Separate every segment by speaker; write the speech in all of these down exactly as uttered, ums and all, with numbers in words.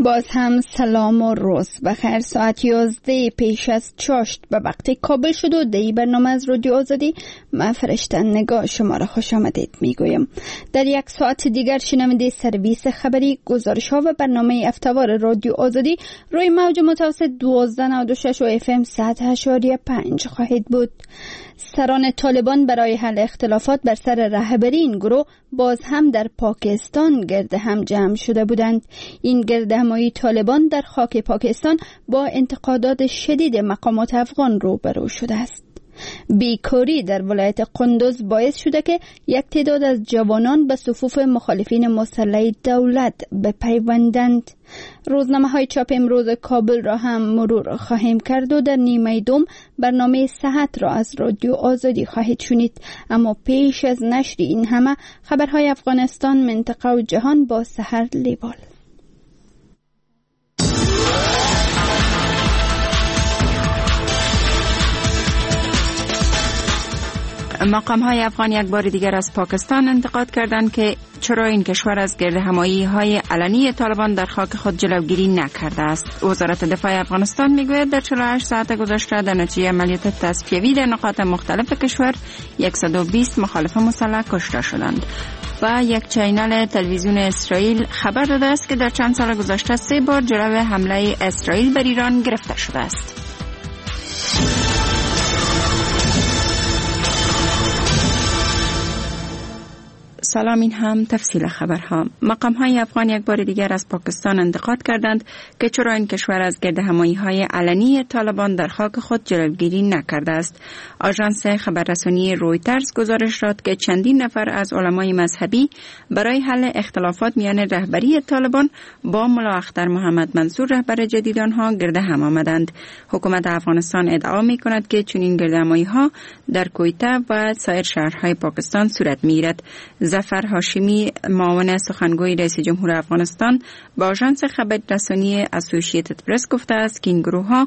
Speaker 1: باز هم سلام و روز بخیر. ساعت یازده پیش از چاشت به وقت کابل شد و دی برنامه از رادیو آزادی من فرشته نگاه شما را خوش آمدید میگویم. در یک ساعت دیگر شنونده سرویس خبری، گزارش ها و برنامه افتوار رادیو آزادی روی موج متوسط دوازده نود و شش و اف ام صد و پنج خواهید بود. سران طالبان برای حل اختلافات بر سر رهبری این گروه باز هم در پاکستان گرد هم جمع شده بودند. این گردهمایی طالبان در خاک پاکستان با انتقادات شدید مقامات افغان روبرو شده است. بیکاری در ولایت قندوز باعث شده که یک تعداد از جوانان به صفوف مخالفین مسلح دولت بپیوندند. روزنامه های چاپ امروز کابل را هم مرور خواهیم کرد و در نیمه دوم برنامه صحت را از رادیو آزادی خواهید شنید. اما پیش از نشر این همه خبرهای افغانستان، منطقه و جهان با سحر لیوال.
Speaker 2: مقام های افغان یک بار دیگر از پاکستان انتقاد کردند که چرا این کشور از گردهمایی های علنی طالبان در خاک خود جلوگیری نکرده است. وزارت دفاع افغانستان میگوید در چهل و هشت ساعت گذشته در نتیجه عملیات تصفیوی در نقاط مختلف کشور صد و بیست مخالف مسلح کشته شدند. و یک چینل تلویزیون اسرائیل خبر داده است که در چند سال گذشته سه بار جلو حمله اسرائیل بر ایران گرفته شده است. سلام، این هم تفصیل خبرها. مقام های افغان یک بار دیگر از پاکستان انتقاد کردند که چرا این کشور از گردهمایی های علنی طالبان در خاک خود جلوگیری نکرده است. آژانس خبررسانی رویترز گزارش داد که چندین نفر از علمای مذهبی برای حل اختلافات میان رهبری طالبان با ملا اختر محمد منصور رهبر جدید آنها گرد هم آمدند. حکومت افغانستان ادعا می کند که چنین گردهمایی ها در کویته و سایر شهرهای پاکستان صورت می گیرد. ظفر هاشمی، معاون سخنگوی رئیس جمهور افغانستان، با آژانس خبررسانی اسوسییتد پرس گفته است که این گروه ها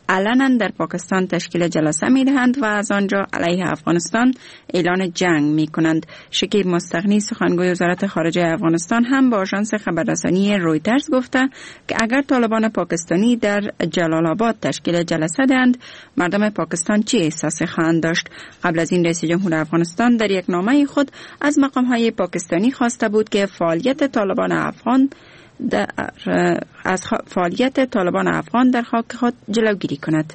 Speaker 2: علنا در پاکستان تشکیل جلسه می دهند و از آنجا علیه افغانستان اعلان جنگ می کنند. شکیب مستغنی، سخنگوی وزارت خارجه افغانستان، هم با آژانس خبررسانی رویترز گفته که اگر طالبان پاکستانی در جلال آباد تشکیل جلسه دهند، مردم پاکستان چه احساسی خواهند داشت؟ قبل از این رئیس جمهور افغانستان در یک نامه خود از مقام های پاکستانی خواسته بود که فعالیت طالبان افغان در از فعالیت طالبان افغان در خاک خود جلوگیری کند.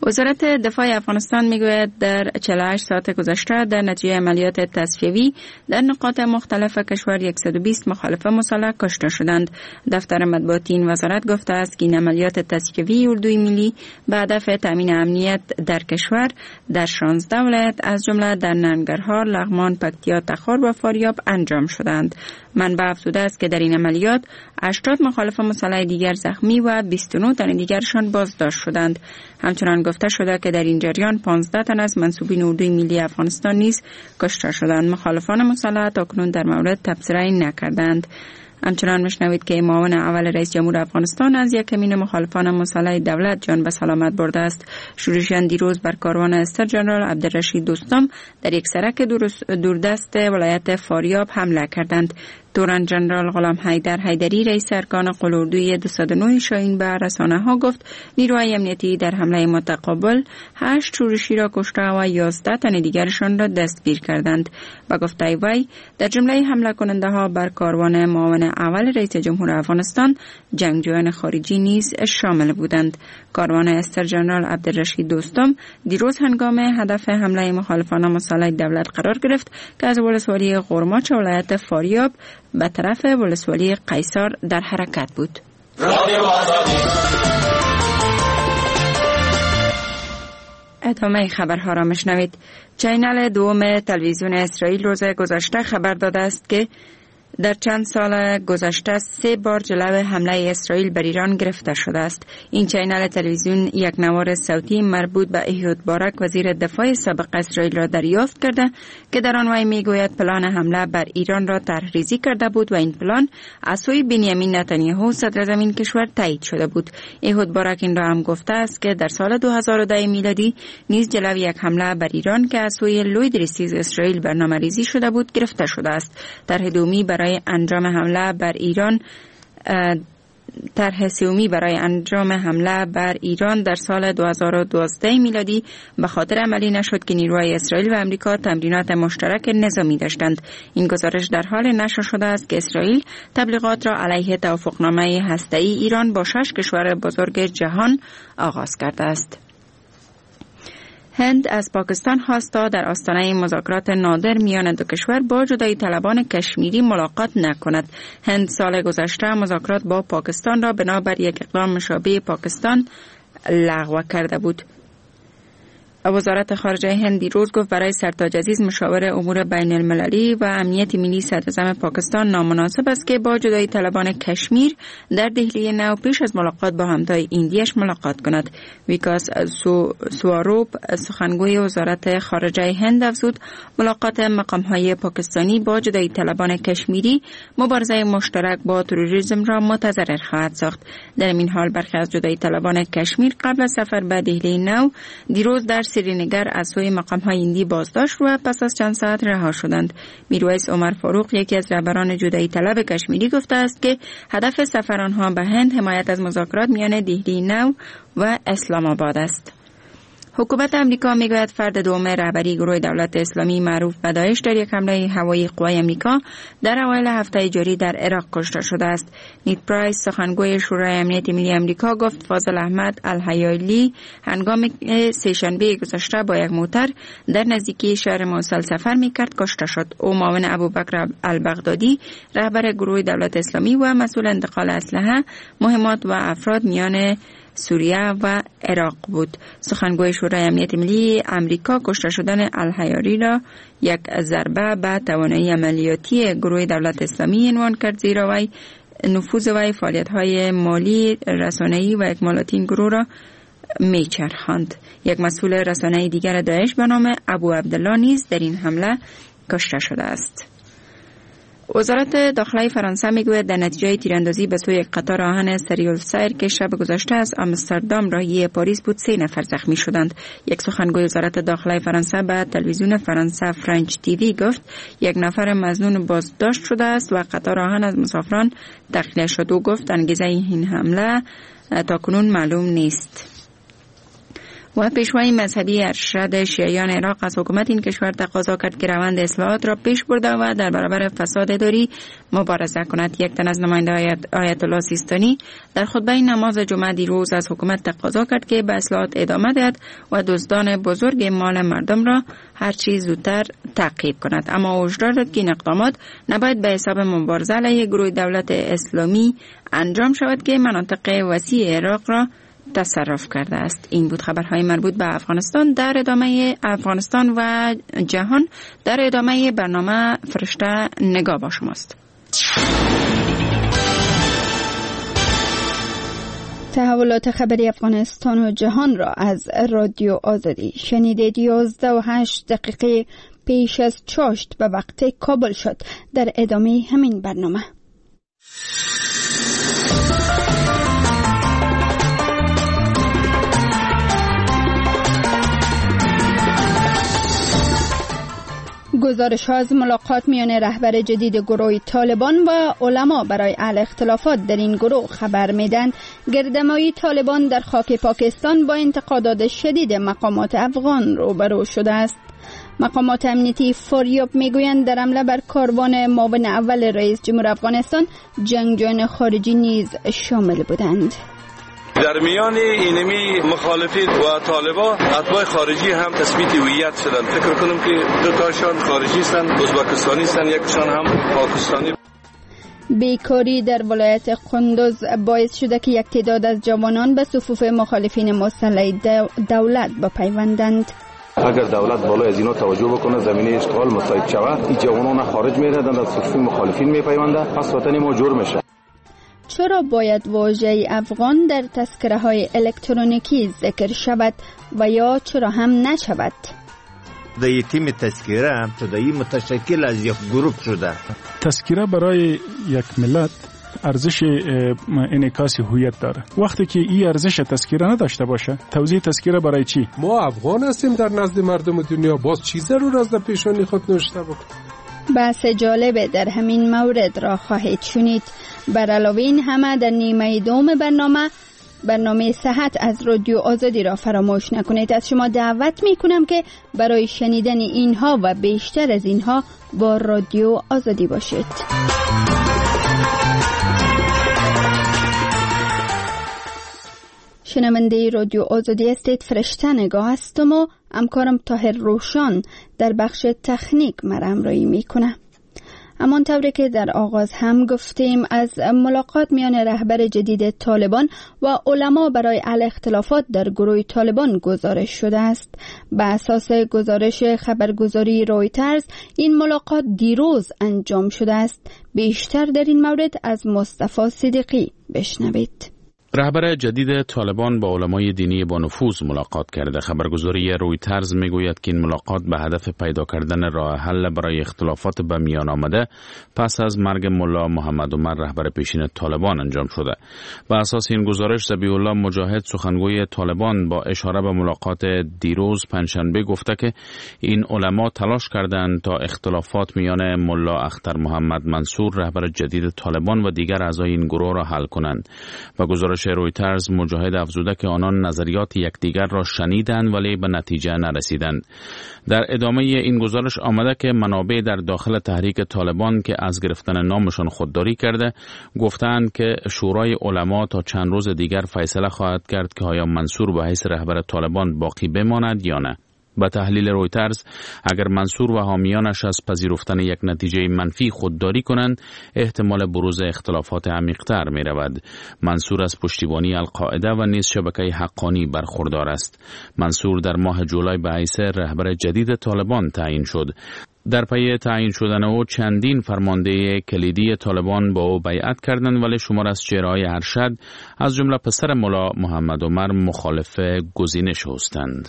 Speaker 2: وزارت دفاع افغانستان میگوید در چهل و هشت ساعت گذشته در نتیجه عملیات تصفیوی در نقاط مختلف کشور صد و بیست مخالف مسلح کشته شدند. دفتر مطبوعاتی این وزارت گفته است که این عملیات تصفیوی اردوی ملی به هدف تامین امنیت در کشور در شانزده ولایت از جمله در ننگرهار، لغمان، پکتیا، تخار و فاریاب انجام شدند. منبع افزوده است که در این عملیات هشتاد مخالف مسلح دیگر زخمی و بیست و نه تن دیگرشان بازداشت شدند. همچنان گفته شده که در این جریان پانزده تن از منسوبین اردوی ملی افغانستان نیز کشته شدند. مخالفان مسلح تاکنون در مورد تبصره نکردند. همچنان میشنوید که معاون اول رئیس جمهور افغانستان از یک کمین مخالفان مسلح دولت جان به سلامت برده است. شورشیان دیروز بر کاروان استر جنرال عبدالرشید دوستم در یک سرک دوردست ولایت فاریاب حمله کردند. تورن جنرال غلام حیدر حیدری، رئیس ارکان قول اردوی دویست و نه شاهین، به رسانه ها گفت نیروهای امنیتی در حمله متقابل هشت شورشی را کشته و یازده تن دیگرشان را دستگیر کردند. با گفته وی در جمله حمله کننده ها بر کاروان معاون اول رئیس جمهور افغانستان جنگجویان خارجی نیز شامل بودند. کاروان استر جنرال عبدالرشید دوستم دیروز هنگام هدف حمله مخالفان مسلح دولت قرار گرفت که از ولسوالی غرماچ ولایت فاریاب به طرف ولسوالی قیصار در حرکت بود. ادامه خبرها را مشنوید. چینل دوم تلویزیون اسرائیل روز گذشته خبر داده است که در چند سال گذشته سه بار جلو حمله اسرائیل بر ایران گرفته شده است. این چینل تلویزیون یک نوار صوتی مربوط به ایهود بارک، وزیر دفاع سابق اسرائیل را دریافت کرده که در آن وی میگوید پلان حمله بر ایران را طرح‌ریزی کرده بود و این پلان از سوی بنیامین نتانیاهو صدراعظم این کشور تایید شده بود. ایهود بارک این را هم گفته است که در سال دو هزار و ده میلادی نیز جلو یک حمله بر ایران که از سوی لوی درستیز اسرائیل برنامه‌ریزی شده بود گرفته شده است. طرح دومی برای انجام حمله بر ایران طرح سومی برای انجام حمله بر ایران در سال دو هزار و دوازده میلادی به خاطر عملی نشد که نیروهای اسرائیل و امریکا تمرینات مشترک نظامی داشتند. این گزارش در حال نشر شده است که اسرائیل تبلیغات را علیه توافقنامه هسته‌ای ایران با شش کشور بزرگ جهان آغاز کرده است. هند از پاکستان خواست تا در آستانه مذاکرات نادر میان دو کشور با جدایی طلبان کشمیری ملاقات نکند. هند سال گذشته مذاکرات با پاکستان را بنابر یک اقدام مشابه پاکستان لغو کرده بود. وزارت خارجه هند دیروز گفت برای سرتاج عزیز مشاور امور بین المللی و امنیت ملی صدراعظم پاکستان نامناسب است که با جدایی طلبان کشمیر در دهلی نو پیش از ملاقات با همتای ایندیش ملاقات کند. ویکاس سواروپ سخنگوی وزارت خارجه هند افزود ملاقات مقام‌های پاکستانی با جدایی طلبان کشمیری مبارزه مشترک با تروریسم را متضرر خواهد ساخت. در این حال برخی از جدایی طلبان کشمیر قبل از سفر به دهلی نو دیروز در سرینگر از سوی مقام‌های هندی بازداشت و پس از چند ساعت رها شدند. میرویس عمر فاروق یکی از رهبران جدایی طلب کشمیری گفته است که هدف سفر آنها به هند حمایت از مذاکرات میان دهلی نو و اسلام آباد است. حکومت امریکا میگوید فرد دوم رهبری گروه دولت اسلامی معروف به داعش در یک حمله هوایی قوای امریکا در اوایل هفته جاری در عراق کشته شده است. نیت پرایس سخنگوی شورای امنیت ملی امریکا گفت فاضل احمد الحیالی هنگام سه‌شنبه گذشته با یک موتر در نزدیکی شهر موصل سفر میکرد کشته شد. او معاون ابوبکر البغدادی رهبر گروه دولت اسلامی و مسئول انتقال اسلحه، مهمات و افراد میان سوریه و عراق بود. سخنگوی شورای امنیت ملی امریکا کشته شدن الحیاری را یک ضربه به توانایی عملیاتی گروه دولت اسلامی عنوان کرد، زیرا وی نفوذ و فعالیت‌های مالی، رسانه‌ای و اکمالاتی این گروه را میچرخاند. یک مسئول رسانه‌ای دیگر داعش به نام ابو عبدالله نیز در این حمله کشته شده است. وزارت داخله فرانسه میگوید در نتیجه تیراندازی به سوی قطار آهن سریع که شب گذشته از آمستردام راهی پاریس بود سه نفر زخمی شدند. یک سخنگوی وزارت داخله فرانسه به تلویزیون فرانسه فرانچ تیوی گفت یک نفر مظنون بازداشت شده است و قطار آهن از مسافران تخلیه شد. او گفت انگیزه این حمله تاکنون معلوم نیست. و پیشوای مذهبی ارشد شیعیان عراق از حکومت این کشور تقاضا کرد که روند اصلاحات را پیش برده و در برابر فساد اداری مبارزه کند. یک تن از نماینده آیت الله سیستانی در خطبه نماز جمعه دیروز از حکومت تقاضا کرد که به اصلاحات ادامه دهد و دزدان بزرگ مال مردم را هرچی زودتر تعقیب کند. اما هشدار داد که این اقدامات نباید به حساب مبارزه علیه گروه دولت اسلامی انجام شود که مناطق وسیع عراق را تصرف کرده است. این بود خبرهای مربوط به افغانستان در ادامه افغانستان و جهان. در ادامه برنامه فرشته نگاه با شماست.
Speaker 1: تحولات خبری افغانستان و جهان را از رادیو آزادی شنیدید. یازده و هشت دقیقه پیش از چاشت به وقت کابل شد. در ادامه همین برنامه گزارش ها از ملاقات میان رهبر جدید گروه طالبان و علما برای حل اختلافات در این گروه خبر میدن. گردمایی طالبان در خاک پاکستان با انتقادات شدید مقامات افغان روبرو شده است. مقامات امنیتی فاریاب میگویند در حمله بر کاروان معاون اول رئیس جمهور افغانستان جنگجویان خارجی نیز شامل بودند.
Speaker 3: در میان اینمی مخالفین و طالبان اتباع خارجی هم تثبیت هویت شدند. فکر کنم که دو تاشان خارجی هستند، ازبکستانی هستند، یکشان هم پاکستانی.
Speaker 1: بیکاری در ولایت قندوز باعث شده که یک تعداد از جوانان به صفوف مخالفین مسلح دولت بپیوندند.
Speaker 3: اگر دولت بالای از اینا توجه بکنه، زمینه اشتغال مساعد شود، این جوانان خارج می‌ردند، از صفوف مخالفین میپیوندند، پس وطن ما جور میشه.
Speaker 1: چرا باید واژه افغان در تذکره های الکترونیکی ذکر شود و یا چرا هم نشود؟
Speaker 4: در تیم تذکره شده ای متشکل از یک گروه شده.
Speaker 5: تذکره برای یک ملت ارزش انعکاس هویت داره. وقتی که این ارزش تذکره نداشته باشه، توزیع تذکره برای چی؟
Speaker 6: ما افغان هستیم در نزد مردم دنیا، باز چی ضرور است در پیشانی خود نوشته بکنیم؟
Speaker 1: بحث جالب در همین مورد را خواهید شنید. بر علاوه این همه در نیمه دوم برنامه برنامه صحت از رادیو آزادی را فراموش نکنید. از شما دعوت می کنم که برای شنیدن اینها و بیشتر از اینها با رادیو آزادی باشید. شنونده رادیو آزادی هستید. فرشته نگاه هستم و همکارم طاهر روشان در بخش تکنیک مرا همراهی میکنه. همان طوری که در آغاز هم گفتیم، از ملاقات میان رهبر جدید طالبان و علما برای حل اختلافات در گروه طالبان گزارش شده است. به اساس گزارش خبرگزاری رویترز، این ملاقات دیروز انجام شده است. بیشتر در این مورد از مصطفی صدیقی بشنوید.
Speaker 6: رهبر جدید طالبان با علمای دینی با نفوذ ملاقات کرده. خبرگزاری رویترز میگوید که این ملاقات به هدف پیدا کردن راه حل برای اختلافات به میان آمده پس از مرگ ملا محمد عمر رهبر پیشین طالبان انجام شده. به اساس این گزارش، ذبیح الله مجاهد سخنگوی طالبان با اشاره به ملاقات دیروز پنجشنبه گفته که این علما تلاش کردند تا اختلافات میان ملا اختر محمد منصور رهبر جدید طالبان و دیگر اعضای این گروه را حل کنند. و گزارش رویترز مجاهد افزوده که آنان نظریات یکدیگر را شنیدند ولی به نتیجه نرسیدند. در ادامه این گزارش آمده که منابع در داخل تحریک طالبان که از گرفتن نامشان خودداری کرده گفتند که شورای علما تا چند روز دیگر فیصله خواهد کرد که آیا منصور به حیث رهبر طالبان باقی بماند یا نه. به تحلیل رویترز، اگر منصور و حامیانش از پذیرفتن یک نتیجه منفی خودداری کنند، احتمال بروز اختلافات عمیق‌تر می رود. منصور از پشتیبانی القاعده و نیز شبکه حقانی برخوردار است. منصور در ماه جولای به حیث رهبر جدید طالبان تعیین شد. در پی تعیین شدن او چندین فرمانده کلیدی طالبان با او بیعت کردند، ولی شمار از چهره‌های ارشد از جمله پسر ملا محمد عمر مخالف گزینش هستند.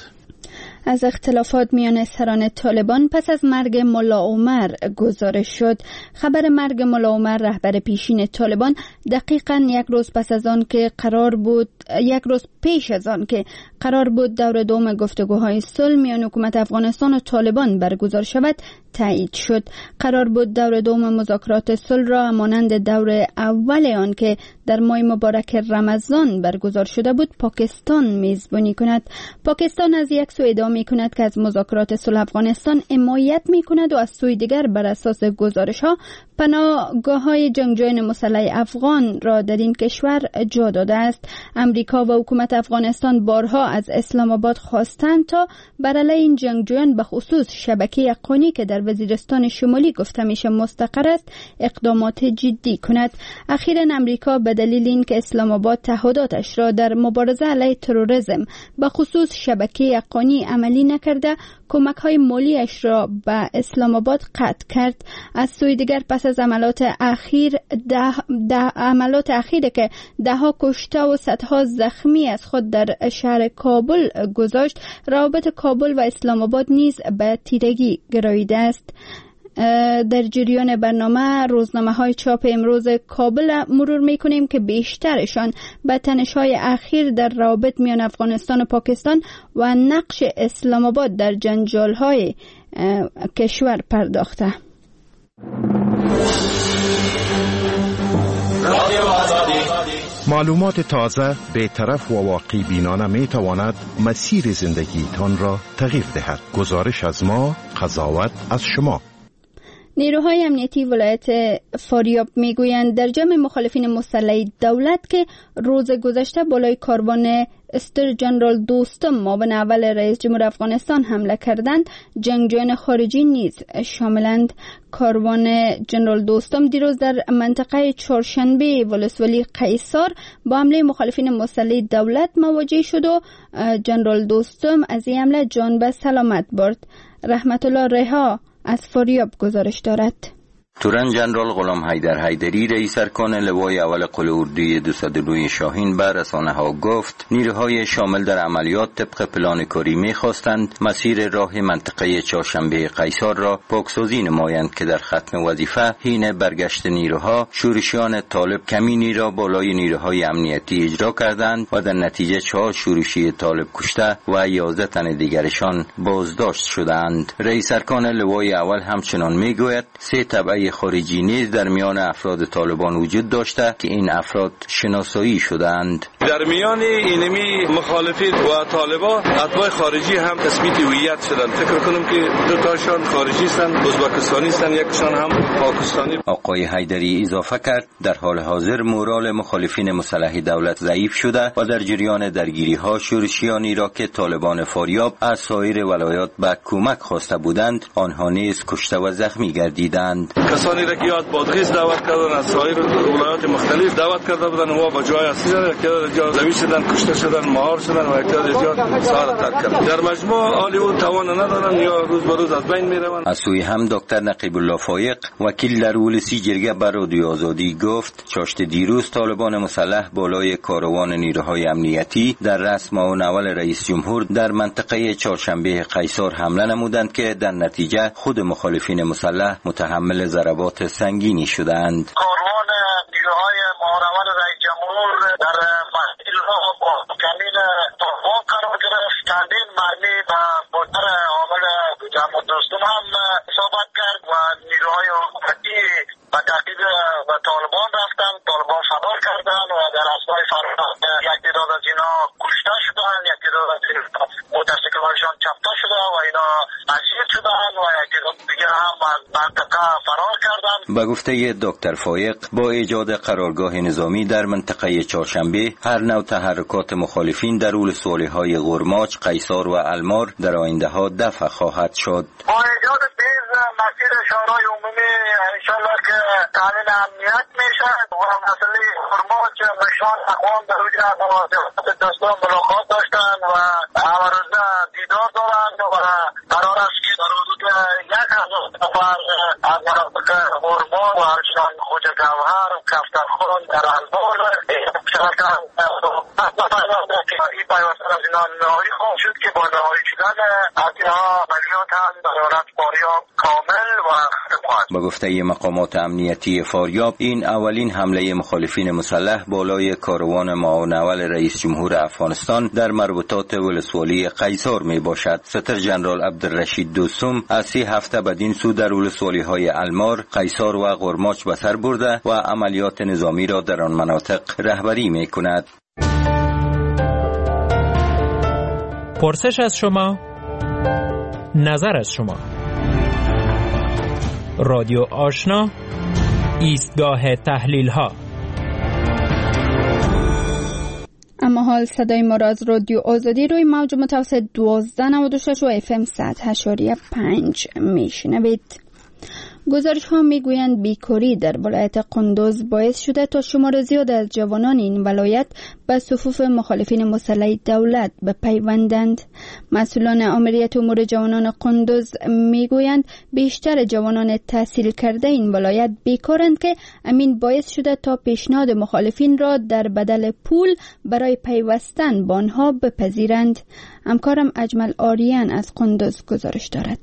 Speaker 1: از اختلافات میان سران طالبان پس از مرگ ملا عمر گزارش شد. خبر مرگ ملا عمر رهبر پیشین طالبان دقیقاً یک روز پس از آن که قرار بود یک روز پیش از آن که قرار بود دور دوم گفتگوهای صلح میان حکومت افغانستان و طالبان برگزار شود تایید شد. قرار بود دور دوم مذاکرات صلح را مانند دور اول آن که در ماه مبارک رمضان برگزار شده بود پاکستان میزبانی کند. پاکستان از یک سو ادعا می کند که از مذاکرات صلح افغانستان حمایت می کند و از سوی دیگر بر اساس گزارش ها پناهگاه های جنگجویان مسلح افغان را در این کشور جا داده است. امریکا و حکومت افغانستان بارها از اسلام آباد خواستند تا بر علیه این جنگجویان به خصوص شبکه حقانی که در وزیرستان شمالی گفته میشه مستقر است اقدامات جدی کند. اخیرا امریکا به دلیل اینکه اسلام آباد تعهداتش را در مبارزه علیه تروریسم به خصوص شبکه حقانی عملی نکرده کمک های مالیش را به اسلام آباد قطع کرد. از سوی دیگر پس از عملات اخیر ده, ده عملات اخیر که ده ها کشته و صدها زخمی از خود در شهر کابل گذاشت، روابط کابل و اسلام آباد نیز به تیرگی گراییده است. در جریان برنامه روزنامه های چاپ امروز کابل مرور میکنیم که بیشترشان به تنش های اخیر در روابط میان افغانستان و پاکستان و نقش اسلام آباد در جنجال های کشور پرداخته.
Speaker 7: معلومات تازه، بی‌طرف و واقع بینانه می تواند مسیر زندگیتان را تغییر دهد. گزارش از ما، قضاوت از شما.
Speaker 1: نیروهای امنیتی ولایت فاریاب میگویند در جمع مخالفین مسلح دولت که روز گذشته بالای کاروان استر جنرال دوستم معاون اول رئیس جمهور افغانستان حمله کردند، جنگجویان خارجی نیز شاملند. کاروان جنرال دوستم دیروز در منطقه چهارشنبه ولسوالی قیصار با حمله مخالفین مسلح دولت مواجه شد و جنرال دوستم از این حمله جان به سلامت برد. رحمت الله رها از فاریاب گزارش دارد.
Speaker 8: تورن جنرال غلام حیدر حیدری رئیس ارکان لوای اول قول اردوی دویست و نه شاهین بر رسانه ها گفت نیروهای شامل در عملیات طبق پلان کاری می‌خواستند مسیر راه منطقه چهارشنبه قیصار را پاکسازی نمایند که در ختم وظیفه حین برگشت نیروها شورشیان طالب کمینی را بالای نیروهای امنیتی اجرا کردند و در نتیجه چهار شورشی طالب کشته و یازده تن دیگرشان بازداشت شدند. رئیس ارکان لوای اول همچنان میگوید سه تبعه خارجی نیز در میان افراد طالبان وجود داشته که این افراد شناسایی شدند.
Speaker 3: در میان اینمی مخالفین و طالبان اتباع خارجی هم تثبیت هویت شدند. فکر کنم که دو تاشان خارجی هستند، ازبکستانی هستند، یکشان هم پاکستانی.
Speaker 8: آقای حیدری اضافه کرد در حال حاضر مورال مخالفین مسلح دولت ضعیف شده و در جریان درگیری ها شورشیانی را که طالبان فاریاب از سایر ولایات به کمک خواسته بودند آنها نیز کشته و زخمی گردیدند.
Speaker 3: کسانی را که یاد بادغیس دعوت کردن از سایر ولایات مختلف دعوت کرده بودند و با جای اصلی که جا زوی شدن، کشته شدن، مهار شدن و یک جا سار ترک کردن. در مجموع حالی او توان ندارن یا روز به روز از بین میروند.
Speaker 8: از سوی هم دکتر نقیب الله فایق وکیل در ولسی جرگه بر رادیو آزادی گفت چاشت دیروز طالبان مسلح بالای کاروان نیروهای امنیتی در رأس معاون اول رئیس جمهور در منطقه چهارشنبه قیصار حمله نمودند که در نتیجه خود مخالفین مسلح متحمل ضربات سنگینی شدند.
Speaker 9: کاروان نیروهای معاون اول رئیس جمهور در مسیر با کمین طالبان قرار گرفت. چندین مرمی به موتر عامل جمع دوستم هم اصابت کرد و نیروهای حکومتی به تعقیب و طالبان رفتند. طالبان فرار کردند و در اثنای فرار یک تعداد از اینا کشته شدند، یک تعداد از اینا موتورسیکل‌هایشان چپته شده و اینا اسیر شدند و یک تعداد دیگر هم از منطقه فرار کردند.
Speaker 8: به گفته دکتر فایق با ایجاد قرارگاه نظامی در منطقه چهارشنبه هر نوع تحرکات مخالفین در ولسوالی‌های غرماچ، قیصار و المار در آینده ها دفع خواهد شد.
Speaker 9: با ایجاد بیز مسیر شهرهای عمومی انشالله که تامین امنیت میشه و مسئله غرماچ مشان اقوام در اونجا با دوستان ملاقات داشتن و همه دیدار دارند و قرار است که در حدود یک هزار نفر از مناطق غرماچ و همچنان خوجه گوهر و کفترخان در البار این پیوستن از اینا نهایی خواهد شد که با نهایی شدن از اینها عملیات هم در حالت فاریاب کامل و ختم خواهد.
Speaker 8: به گفته مقامات امنیتی فاریاب این اولین حمله مخالفین مسلح بالای کاروان معاون اول رئیس جمهور افغانستان در مربوطات ولسوالی قیصار می باشد. ستر جنرال عبدالرشید دوستم از سه هفته بدین سو در ولسوالی های المار، قیصار و غرماچ به سر برده و عملیات نظامی را در آن مناطق رهبری می کند.
Speaker 10: پرسش از شما، نظر از شما. رادیو آشنا، ایستگاه تحلیل ها.
Speaker 1: اما حال صدای ما را از رادیو آزادی روی موج متوسط دوازده نود و شش و اف ام صد و پنج میشنوید. گزارش ها میگویند بیکاری در ولایت قندوز باعث شده تا شمار زیاد از جوانان این ولایت به صفوف مخالفین مسلح دولت بپیوندند. مسئولان آمریت امور جوانان قندوز میگویند بیشتر جوانان تحصیل کرده این ولایت بیکارند که امین باعث شده تا پیشنهاد مخالفین را در بدل پول برای پیوستن به آنها بپذیرند. همکارم اجمل آریان از قندوز گزارش دارد.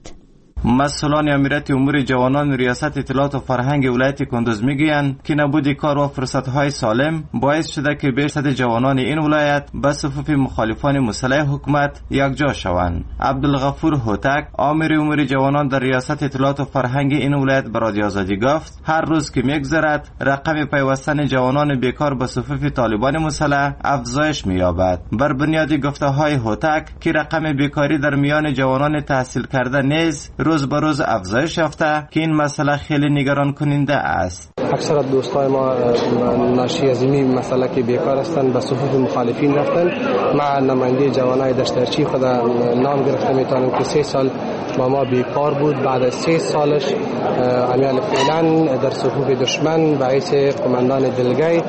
Speaker 11: مسئولان امیرت امور جوانان ریاست اطلاعات و فرهنگ ولایت کندوز میگویند که نبود کار و فرصت‌های سالم باعث شده که بیشتر جوانان این ولایت به صفوف مخالفان مسلح حکومت یکجا شوند. عبدالغفور هوتک آمر امور جوانان در ریاست اطلاعات و فرهنگ این ولایت به رادیو آزادی گفت هر روز که میگذرد رقم پیوستن جوانان بیکار به صفوف طالبان مسلح افزایش می‌یابد. بر بنیاد گفته‌های هوتک که رقم بیکاری در میان جوانان تحصیل کرده نیز روز به روز افزایش یافته که این مسئله خیلی نگران کننده است.
Speaker 12: اکثر دوستای ما ناشی از این مسئله که بیکار هستند به صفوف مخالفین رفتن. ما نماینده جوانای دشترچی خود نام گرفته میتونم که سه سال با ما بیکار بود. بعد از سه سالش امیال فعلا در صفوف دشمن به حیث قماندان دلگی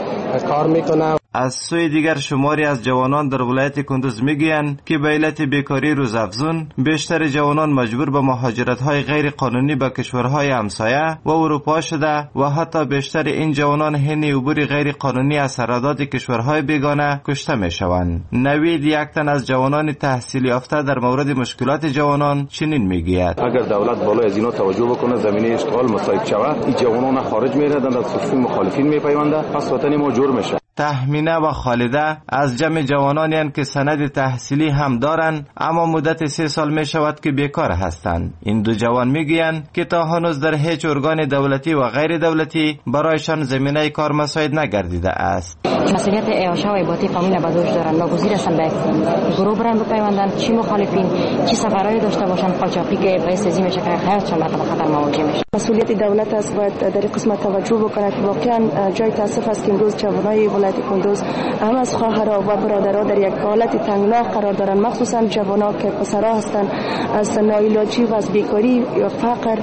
Speaker 12: کار میکنه.
Speaker 11: از سوی دیگر شماری از جوانان در ولایت کندوز میگویند که به علت بیکاری روزافزون بیشتر جوانان مجبور به مهاجرت‌های غیر قانونی به کشورهای همسایه و اروپا شده و حتی بیشتر این جوانان حین عبور غیر قانونی از سرحدات کشورهای بیگانه کشته میشوند. نوید یک تن از جوانان تحصیل یافته در مورد مشکلات جوانان چنین میگوید:
Speaker 13: اگر دولت بالای از اینا توجه بکنه، زمینه اشتغال مساعد شود، این جوانان خارج میروند، از صفوف مخالفین میپیوندند، پس وطن ما جور میشه.
Speaker 11: تهمینه و خالده از جمع جوانانی هستند که سند تحصیلی هم دارند، اما مدت سه سال می شود که بیکار هستند. این دو جوان میگویند که تا هنوز در هیچ ارگان دولتی و غیر دولتی برایشان زمینه کار مساعد نگردیده است.
Speaker 14: مسئولیت اعاشه و عباتی قانون به دوش دارند، ناگزیر هستند به گروه برن بپیوندند، چی مخالفین چی سفرهای داشته باشند قاچاقی که باعث ازی میشه که حیاتشان به خطر مواجه میشه.
Speaker 15: مسئولیت دولت است، باید در این قسمت توجه بکنه که واقعا جای تاسف است که امروز جوانای ولایت کندوز هم از خواهرها و برادرها در یک حالت تنگنا قرار دارند، مخصوصا جوانها که پسرها هستند از ناعلاجی و از بیکاری یا فقر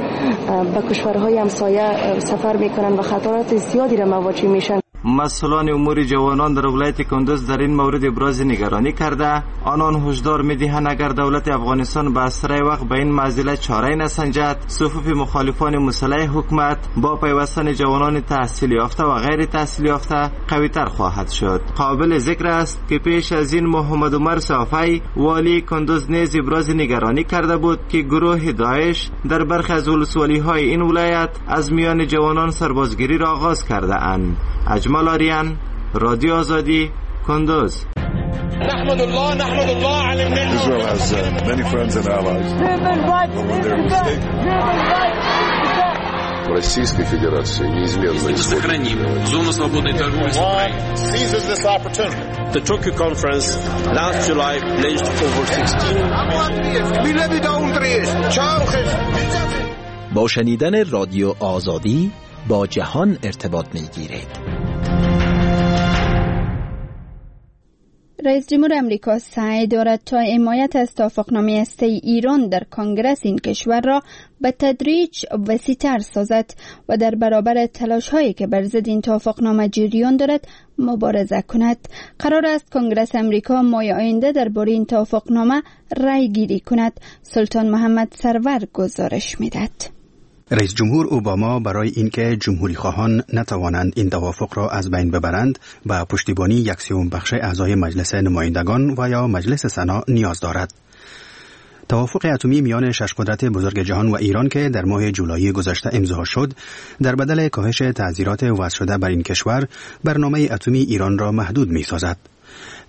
Speaker 15: به کشورهای همسایه سفر میکنند و خطرات زیادی را مواجه میشن.
Speaker 11: مسئولان امور جوانان در ولایت کندوز در این مورد ابراز نگرانی کرده، آنان هشدار میدهند اگر دولت افغانستان به اسرع وقت به این معضله چاره نسنجد، صفوف مخالفان مسلح حکومت با پیوستن جوانان تحصیل یافته و غیر تحصیل یافته قوی‌تر خواهد شد. قابل ذکر است که پیش از این محمد عمر صافی والی کندوز نیز ابراز نگرانی کرده بود که گروه داعش در برخی از ولسوالی‌های این ولایت از میان جوانان سربازگیری را آغاز کرده اند. اجمل آریان، رادیو آزادی، کندوز.
Speaker 16: نحمد الله نحمد الله على النعمة.
Speaker 17: Israel has uh, many friends and allies. Российской Федерации неизменно
Speaker 18: сохраним зону свободной торговли с Украиной.
Speaker 19: The Tokyo conference last July pledged over sixteen.
Speaker 20: با شنیدن رادیو آزادی با جهان ارتباط می‌گیرید.
Speaker 1: رئیس جمهور امریکا سعی دارد تا حمایت از توافقنامه هسته‌ای ایران در کنگرس این کشور را به تدریج وسیع‌تر سازد و در برابر تلاش‌هایی که بر ضد این توافقنامه جریان دارد مبارزه کند. قرار است کنگرس امریکا ماه آینده درباره این توافقنامه رأی گیری کند. سلطان محمد سرور گزارش می‌دهد.
Speaker 21: رئیس جمهور اوباما برای اینکه جمهوری خواهان نتوانند این توافق را از بین ببرند به پشتیبانی یک سوم بخش اعضای مجلس نمایندگان و یا مجلس سنا نیاز دارد. توافق اتمی میان شش قدرت بزرگ جهان و ایران که در ماه جولای گذشته امضا شد، در بدل کاهش تعزیرات وضع شده بر این کشور، برنامه اتمی ایران را محدود می‌سازد.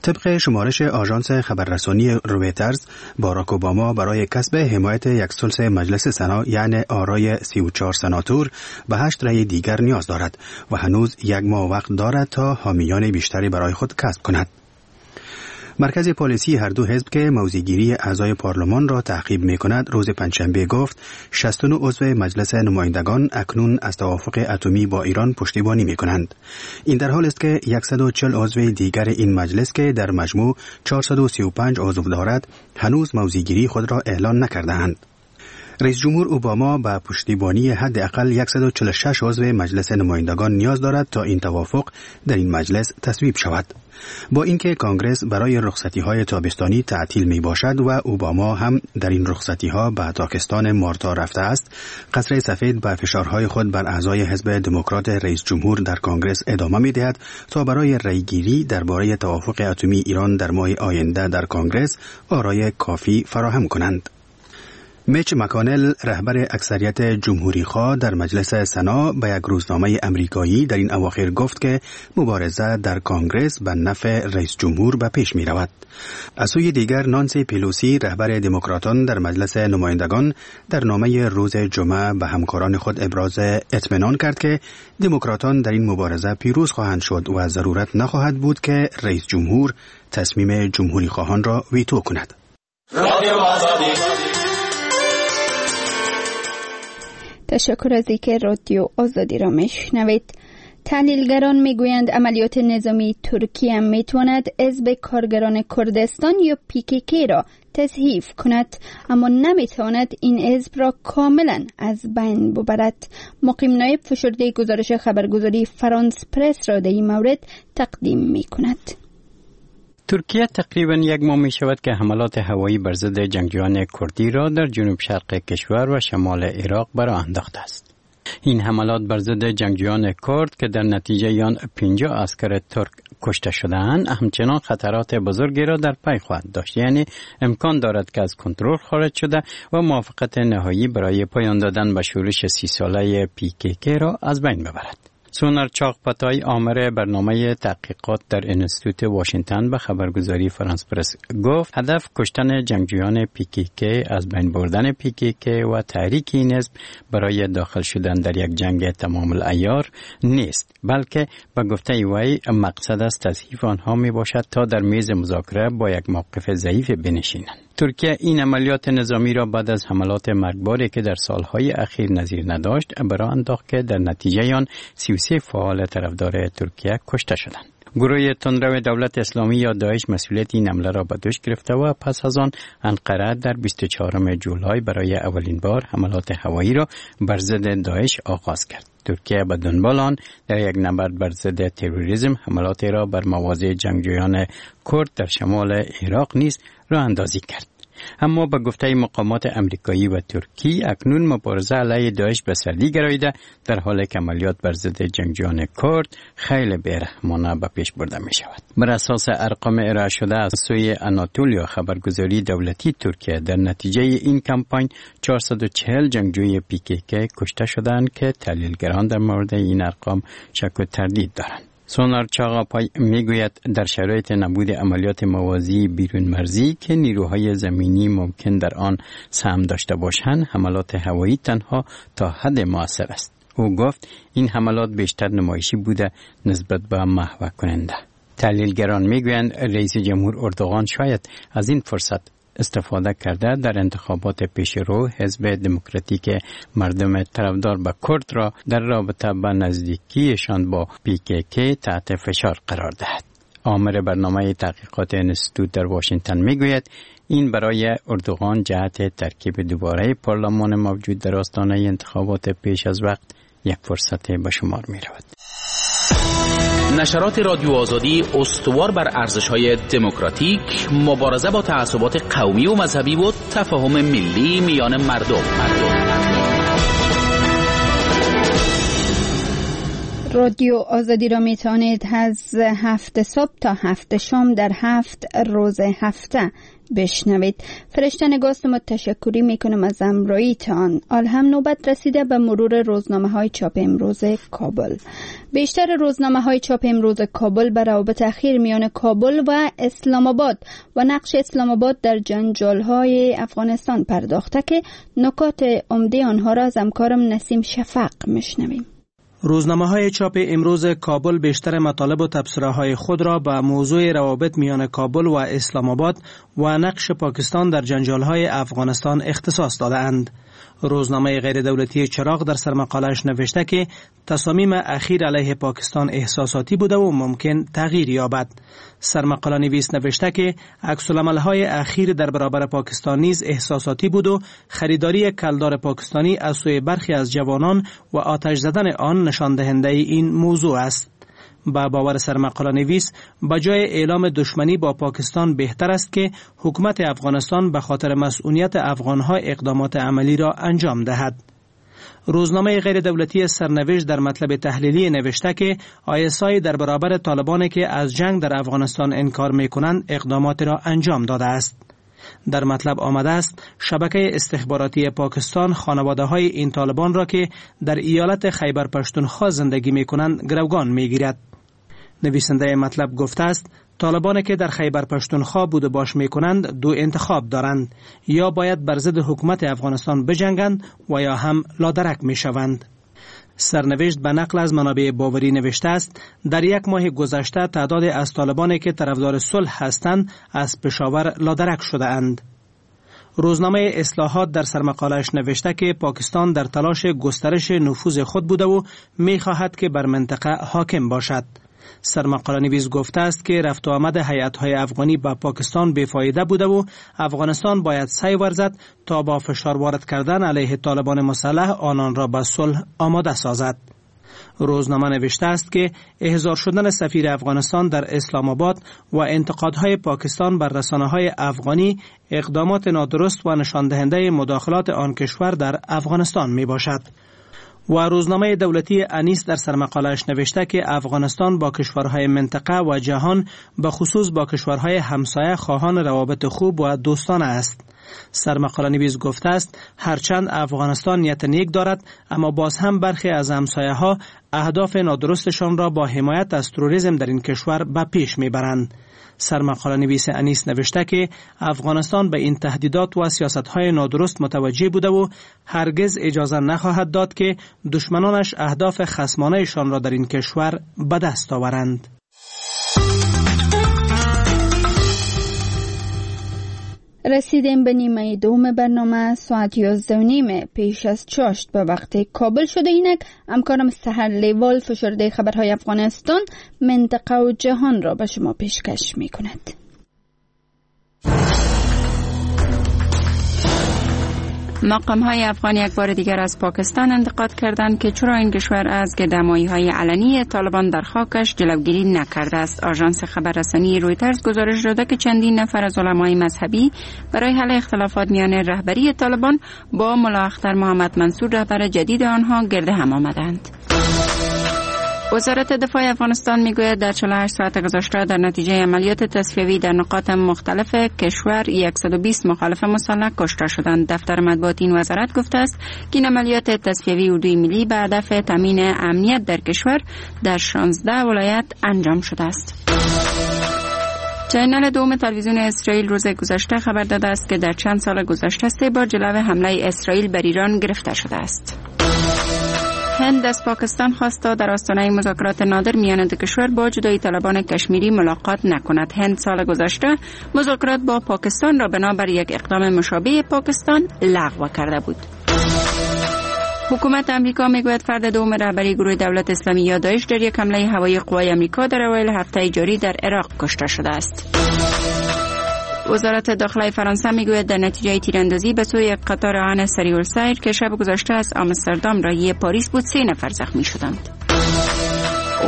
Speaker 21: طبق شمارش آژانس خبررسانی رویترز، باراک اوباما برای کسب حمایت یک ثلث مجلس سنا یعنی آرای سی و چهار سناتور به هشت رأی دیگر نیاز دارد و هنوز یک ماه وقت دارد تا حامیان بیشتری برای خود کسب کند. مرکز پالیسی هر دو حزب که موضع‌گیری اعضای پارلمان را تعقیب می‌کند، روز پنجشنبه گفت شصت و نه عضو مجلس نمایندگان اکنون از توافق اتمی با ایران پشتیبانی می‌کنند. این در حال است که صد و چهل عضو دیگر این مجلس که در مجموع چهارصد و سی و پنج عضو دارد، هنوز موضع‌گیری خود را اعلان نکرده‌اند. رئیس جمهور اوباما به پشتیبانی حداقل صد و چهل و شش عضو مجلس نمایندگان نیاز دارد تا این توافق در این مجلس تصویب شود. با اینکه کانگرس برای رخصتی‌های تابستانی تعطیل می باشد و اوباما هم در این رخصتی‌ها به تاکستان مارتا رفته است، قصر سفید به فشارهای خود بر اعضای حزب دموکرات رئیس جمهور در کانگرس ادامه می دهد تا برای رأی‌گیری درباره توافق اتمی ایران در ماه آینده در کانگرس آرای کافی فراهم کنند. میچ مکانل، رهبر اکثریت جمهوری خواه در مجلس سنا، به یک روزنامه امریکایی در این اواخر گفت که مبارزه در کانگرس به نفع رئیس جمهور به پیش می رود. از سوی دیگر، نانسی پیلوسی، رهبر دموکراتان در مجلس نمایندگان، در نامه روز جمعه به همکاران خود ابراز اطمینان کرد که دموکراتان در این مبارزه پیروز خواهند شد و ضرورت نخواهد بود که رئیس جمهور تصمیم جمهوری خواهان را ویتو کند.
Speaker 1: تشکر از اینکه رادیو آزادی را میشنوید. تحلیلگران میگویند عملیات نظامی ترکیه میتواند حزب کارگران کردستان یا پی کی کی را تضعیف کند، اما نمیتواند این حزب را کاملا از بین ببرد. مقیم نایب فشرده گزارش خبرگزاری فرانس پرس را در این مورد تقدیم میکند.
Speaker 2: ترکیه تقریبا یک ماه می شود که حملات هوایی بر ضد جنگجویان کردی را در جنوب شرق کشور و شمال عراق براه انداخته است. این حملات بر ضد جنگجویان کرد که در نتیجه آن پنجاه عسکر ترک کشته شده‌اند، همچنان خطرات بزرگی را در پی خواهد داشت. یعنی امکان دارد که از کنترل خارج شده و موافقت نهایی برای پایان دادن به شورش سی ساله پی کی کی را از بین ببرد. سونر چاغپتای، آمر برنامه تحقیقات در انستیتوت واشنگتن، به خبرگزاری فرانس پرس گفت هدف کشتن جنگجویان پی کی کی، از بین بردن پی کی کی و تحریک این حزب برای داخل شدن در یک جنگ تمام العیار نیست، بلکه به گفته وی مقصد از تضعیف آنها می باشد تا در میز مذاکره با یک موقف ضعیف بنشینند. ترکیه این عملیات نظامی را بعد از حملات مرگباری که در سالهای اخیر نظیر نداشت براه انداخت که در نتیجه آن سی و سه فعال طرفدار ترکیه کشته شدند. گروه تندرو دولت اسلامی یا داعش مسئولیت این حمله را به دوش گرفته و پس از آن انقره در بیست و چهارم جولای برای اولین بار حملات هوایی را بر ضد داعش آغاز کرد. ترکیه به دنبال آن در یک نبرد بر ضد تروریسم حملات را بر مواضع جنگجویان کرد در شمال عراق نیز راه اندازی کرد. اما به گفته مقامات امریکایی و ترکی اکنون مبارزه علیه داعش به سردی گراییده، در حال که عملیات بر ضد جنگجویان کرد خیلی بی‌رحمانه به پیش برده می شود. بر اساس ارقام ارائه شده از سوی آناتولیا، خبرگزاری دولتی ترکیه، در نتیجه این کمپاین چهارصد و چهل جنگجوی پی کی کی کشته شدند که تحلیلگران در مورد این ارقام شک و تردید دارند. سونار چاغاپای میگوید در شرایط نبود عملیات موازی بیرون مرزی که نیروهای زمینی ممکن در آن سهم داشته باشند، حملات هوایی تنها تا حد موثر است. او گفت این حملات بیشتر نمایشی بوده نسبت به محو کننده. تحلیلگران میگویند رئیس جمهور اردوغان شاید از این فرصت استفاده کرده در انتخابات پیش رو حزب دموکراتیک مردم طرفدار به کرد را در رابطه با نزدیکیشان با پی کی کی تحت فشار قرار دهد. آمر برنامه تحقیقات انستیتوت در واشنگتن میگوید این برای اردوغان جهت ترکیب دوباره پارلمان موجود در آستانه انتخابات پیش از وقت یک فرصت به شمار می رود.
Speaker 22: نشرات رادیو آزادی استوار بر ارزش‌های دموکراتیک، مبارزه با تعصبات قومی و مذهبی و تفاهم ملی میان مردم.
Speaker 1: رادیو آزادی را می توانید از هفت صبح تا هفت شام در هفت روز هفته بشنوید. فرشته نگاست ما تشکری میکنم از همراهیتان. حال هم نوبت رسیده به مرور روزنامه های چاپ امروز کابل. بیشتر روزنامه های چاپ امروز کابل به روابط اخیر میان کابل و اسلام آباد و نقش اسلام آباد در جنجال های افغانستان پرداخته که نکات عمده آنها را از همکارم نسیم شفق میشنویم.
Speaker 23: روزنامه های چاپ امروز کابل بیشتر مطالب و تبصره های خود را به موضوع روابط میان کابل و اسلام آباد و نقش پاکستان در جنجال های افغانستان اختصاص داده‌اند. روزنامه غیر دولتی چراغ در سرمقاله‌اش نوشته که تصامیم اخیر علیه پاکستان احساساتی بوده و ممکن تغییر یابد. سرمقاله نویس نوشته که عکس‌العمل‌های اخیر در برابر پاکستان نیز احساساتی بود و خریداری کلدار پاکستانی از سوی برخی از جوانان و آتش زدن آن نشان دهنده این موضوع است. با باور سرمقاله نویس، بجای اعلام دشمنی با پاکستان بهتر است که حکومت افغانستان به خاطر مسئولیت افغانها اقدامات عملی را انجام دهد. روزنامه غیر دولتی سرنوشت در مطلب تحلیلی نوشته که آی اس آی در برابر طالبان که از جنگ در افغانستان انکار می‌کنند اقدامات را انجام داده است. در مطلب آمده است شبکه استخباراتی پاکستان خانواده های این طالبان را که در ایالت خیبر پشتونخوا زندگی می کنند گروگان می گیرد. نویسنده مطلب گفته است طالبان که در خیبر پشتونخوا بود و باش می کنند دو انتخاب دارند، یا باید بر ضد حکومت افغانستان بجنگند و یا هم لادرک می شوند. سرنوشت به نقل از منابع باوری نوشته است در یک ماه گذشته تعداد از طالبانی که طرفدار صلح هستند از پشاور لادرک شده اند. روزنامه اصلاحات در سرمقاله‌اش نوشته که پاکستان در تلاش گسترش نفوذ خود بوده و می‌خواهد که بر منطقه حاکم باشد. سرمقاله نویس گفته است که رفت و آمد هیئت‌های افغانی به پاکستان بی‌فایده بوده و افغانستان باید سعی ورزد تا با فشار وارد کردن علیه طالبان مسلح آنان را به صلح آماده سازد. روزنامه نوشته است که احضار شدن سفیر افغانستان در اسلام آباد و انتقادهای پاکستان بر رسانه‌های افغانی اقدامات نادرست و نشان دهنده مداخلات آن کشور در افغانستان می باشد. و روزنامه دولتی انیس در سرمقاله‌اش نوشته که افغانستان با کشورهای منطقه و جهان، به خصوص با کشورهای همسایه، خواهان روابط خوب و دوستانه است. سرمقاله نویس گفته است هرچند افغانستان نیت نیک دارد، اما باز هم برخی از همسایه ها اهداف نادرستشان را با حمایت از تروریسم در این کشور به پیش میبرند. سرمقاله نویس انیس نوشته که افغانستان به این تهدیدات و سیاست‌های نادرست متوجه بوده و هرگز اجازه نخواهد داد که دشمنانش اهداف خصمانه‌شان را در این کشور به دست آورند.
Speaker 1: رسیدیم به نیمه دوم برنامه. ساعت یازده و نیم پیش از چاشت به وقت کابل شده. اینک همکارم سحر لیوال فشرده خبرهای افغانستان، منطقه و جهان را به شما پیشکش می کند.
Speaker 4: مقام های افغان یک بار دیگر از پاکستان انتقاد کردند که چرا این کشور از گردهمایی های علنی طالبان در خاکش جلوگیری نکرده است. آژانس خبررسانی رویترز گزارش داده که چندین نفر از علمای مذهبی برای حل اختلافات میان رهبری طالبان با ملا اختر محمد منصور، رهبر جدید آنها، گرد هم آمدند. وزارت دفاع افغانستان میگوید در چهل و هشت ساعت گذشته در نتیجه عملیات تصفیوی در نقاط مختلف کشور صد و بیست مخالف مسلح کشته شدند. دفتر مطبوعات این وزارت گفته است که این عملیات تصفیوی اردوی ملی به هدف تامین امنیت در کشور در شانزده ولایت انجام شده است. چینل دوم تلویزیون اسرائیل روز گذشته خبر داده است که در چند سال گذشته سه بار جلو حمله اسرائیل بر ایران گرفته شده است. هند از پاکستان خواست تا در آستانه مذاکرات نادر میان دو کشور با جدایی طلبان کشمیری ملاقات نکند. هند سال گذشته مذاکرات با پاکستان را بنابر یک اقدام مشابه پاکستان لغو کرده بود. حکومت امریکا میگوید فرد دوم رهبری گروه دولت اسلامی یا داعش در یک حمله هوایی قوای امریکا در اوایل هفته جاری در عراق کشته شده است. وزارت داخله فرانسه میگوید در نتیجه تیراندازی به سوی یک قطار آهن سریع السیر که شب گذشته از آمستردام راهی پاریس بود، سه نفر زخمی شدند.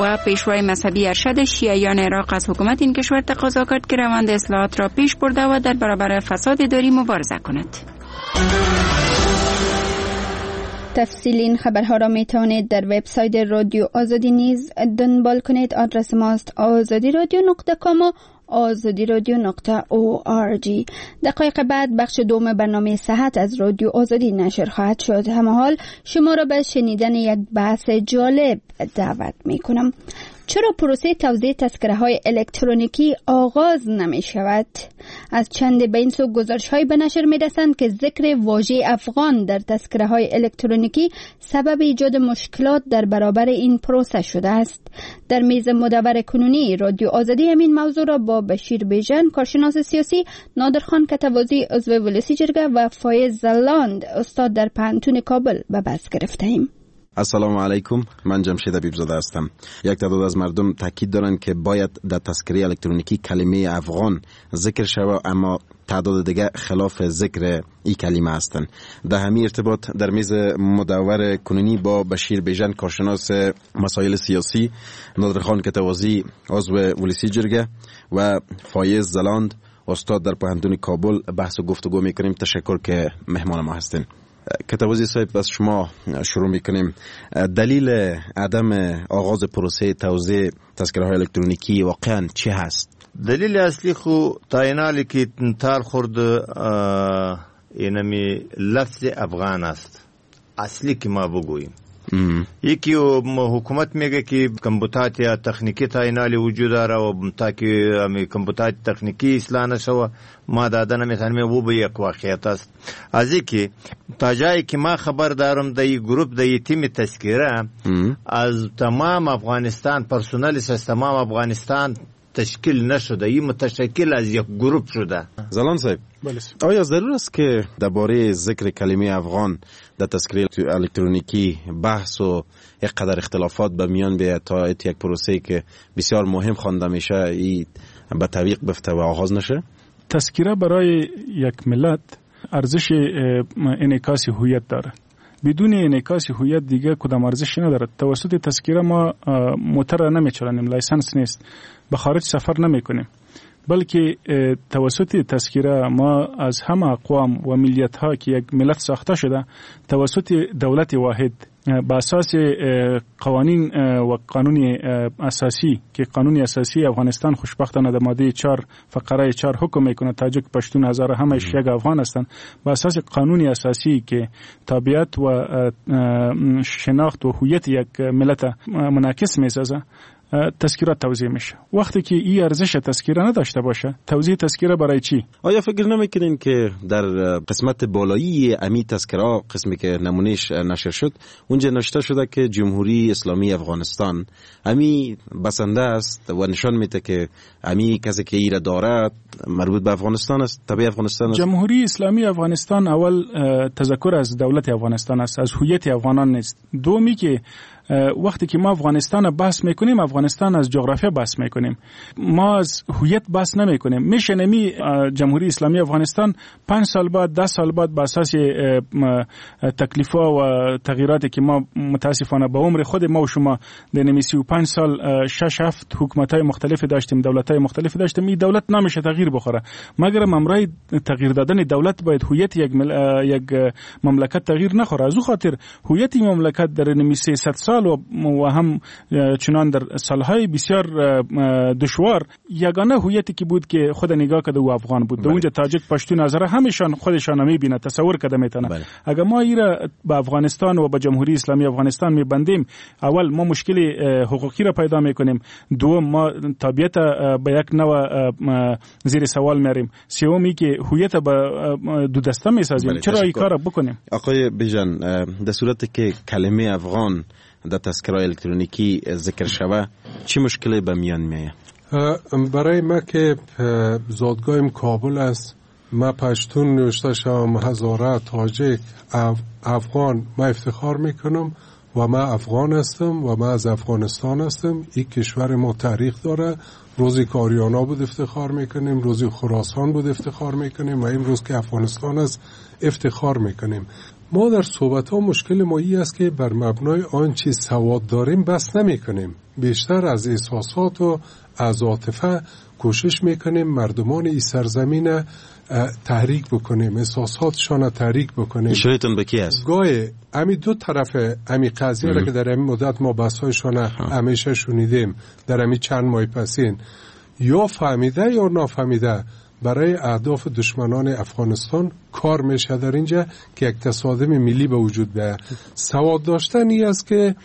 Speaker 4: و پیشوای مذهبی ارشد شیعیان عراق از حکومت این کشور تقاضا کرد که روند اصلاحات را پیش برده و در برابر فساد اداری مبارزه کند.
Speaker 1: تفصیل این خبرها را می توانید در وبسایت رادیو آزادی نیز دنبال کنید. آدرس ماست آزادی رادیو نقطه کام و آزادی رادیو نقطه او آر جی. دقایق بعد بخش دوم برنامه صحت از رادیو آزادی نشر خواهد شد. همه حال شما را به شنیدن یک بحث جالب دعوت می کنم. چرا پروسه توزیع تذکره های الکترونیکی آغاز نمی شود؟ از چند به این سو گزارش های به نشر می رسند که ذکر واژه افغان در تذکره های الکترونیکی سبب ایجاد مشکلات در برابر این پروسه شده است. در میز مدور کنونی رادیو آزادی همین موضوع را با بشیر بیژن، کارشناس سیاسی، نادرخان کتوازی، عضو ولسی جرگه و فایز زلاند، استاد در پوهنتون کابل به بحث گرفتیم.
Speaker 5: السلام علیکم، من جمشید حبیب‌زاده هستم. یک تعداد از مردم تاکید دارند که باید در تذکره الکترونیکی کلمه افغان ذکر شود، اما تعداد دیگه خلاف ذکر این کلمه هستند. در همین ارتباط در میز مدور کنونی با بشیر بیژن، کارشناس مسائل سیاسی، نادرخان کتوازی، عضو ولسی جرگه و فایز زلاند، استاد در پوهنتون کابل بحث و گفتگو میکنیم. تشکر که مهمان ما هستین. کتوازی صاحب، از شما شروع میکنیم. دلیل عدم آغاز پروسه توزیع تذکره های الکترونیکی واقعا چی هست؟
Speaker 6: دلیل اصلی خو تاینالی که تار خورد اینمی لفظ افغان است. اصلی که ما بگوییم یکی حکومت میگه که کمبوتات یا تکنیکی تاینالی وجود داره و تا که کمبوتات تکنیکی اصلاح نشوه ما داده نمیتونیم، او به یک واقعیت است. از اینکه تا جایی که ما خبر دارم در این گروپ در این تیم تذکره از تمام افغانستان پرسنل از تمام افغانستان تشکیل نشده، این متشکل از یک گروپ شده.
Speaker 5: زلان صاحب، آیا ضرور است که درباره ذکر کلمه افغان در تذکره الکترونیکی بحث و یک قدر اختلافات به میان بیاید تا یک پروسه که بسیار مهم خوانده میشه ای به تعویق بفته و آغاز نشه؟
Speaker 3: تذکره برای یک ملت ارزش انعکاس هویت داره. بدون انعکاس هویت دیگه کدام ارزش ندارد. توسط تذکره ما موتر نمیچلانیم، license نیست، به خارج سفر نمیکنیم، بلکه توسط تذکره ما از همه اقوام و ملیت ها که یک ملت ساخته شده توسط دولت واحد به اساس قوانین و قانون اساسی که قانون اساسی افغانستان خوشبختانه در ماده چهار فقره چهار حکم میکنه تاجک، پشتون، هزاره همش یک افغان هستند، به اساس قانون اساسی که تابعیت و شناخت و هویت یک ملت منعکس میسازه تذکره توزیع میشه. وقتی که این ارزش تذکره نداشته باشه، توزیع تذکره برای چی؟
Speaker 5: آیا فکر نمیکنین که در قسمت بالایی امی تذکره، قسمی که نمونهش نشر شد، اونجا نوشته شده که جمهوری اسلامی افغانستان امی بسنده است و نشان میده که امی کسی که ایره دارد مربوط به افغانستان است، تابع افغانستان است؟
Speaker 3: جمهوری اسلامی افغانستان اول تذکر از دولت افغانستان است، از هویت افغانان نیست. دومی که وقتی که ما افغانستان بحث میکنیم، افغانستان از جغرافیا بحث میکنیم، ما از هویت بحث نمیکنیم. میشه نمی جمهوری اسلامی افغانستان پنج سال بعد، ده سال بعد به اساس تکلیف‌ها و تغییراتی که ما متاسفانه به عمر خود ما و شما در نمی سی و پنج سال شش هفت حکومت‌های مختلف داشتیم، دولت‌های مختلف داشتیم، این دولت نمیشه تغییر بخوره. مگر امرای تغییر دادن دولت باید هویت یک مل... یک مملکت تغییر نخوره. از او خاطر هویت مملکت در نمی سیصد سال و هم چنان در سالهای بسیار دشوار یگانه هویتی که بود که خود نگاه کرده و افغان بود. اونجا تاجک، پشتون، هزاره همیشان خودشان میبینه، تصور کرده میتونه. اگر ما ایره به افغانستان و به جمهوری اسلامی افغانستان میبندیم، اول ما مشکل حقوقی را پیدا میکنیم، دوم ما تابعیت به یک نوع زیر سوال میاریم، سومی که هویت به دو دسته میسازیم. چرا این کار بکنیم؟
Speaker 5: آقای بیژن، در صورتی که کلمه افغان در تذکره الکترونیکی ذکر شوه چی مشکلی به میان میایه؟
Speaker 17: برای ما که زادگاهم کابل است، ما پشتون نوشته شوم، هزاره، تاجک، افغان، ما افتخار میکنم و ما افغان هستم و ما از افغانستان هستم. این کشور ما تاریخ داره. روزی که آریانا بود افتخار میکنیم، روزی خراسان بود افتخار میکنیم و امروز که افغانستان است افتخار میکنیم. ما در صحبت ها مشکل ما ای است که بر مبنای آنچه سواد داریم بس نمی کنیم. بیشتر از احساسات و از عاطفه کوشش میکنیم مردمان این سرزمین تحریک بکنیم، احساساتشان تحریک بکنیم.
Speaker 5: اشارهتون به کی است؟
Speaker 17: گاهی امی دو طرف امی قضیه را که در امی مدت ما بحث‌هایشان همیشه شنیدیم در امی چند ماه پسین، یا فهمیده یا نافهمیده برای اهداف دشمنان افغانستان کار میشه در اینجا که یک تصادم ملی به وجود بیاید. سواد داشتن ای است که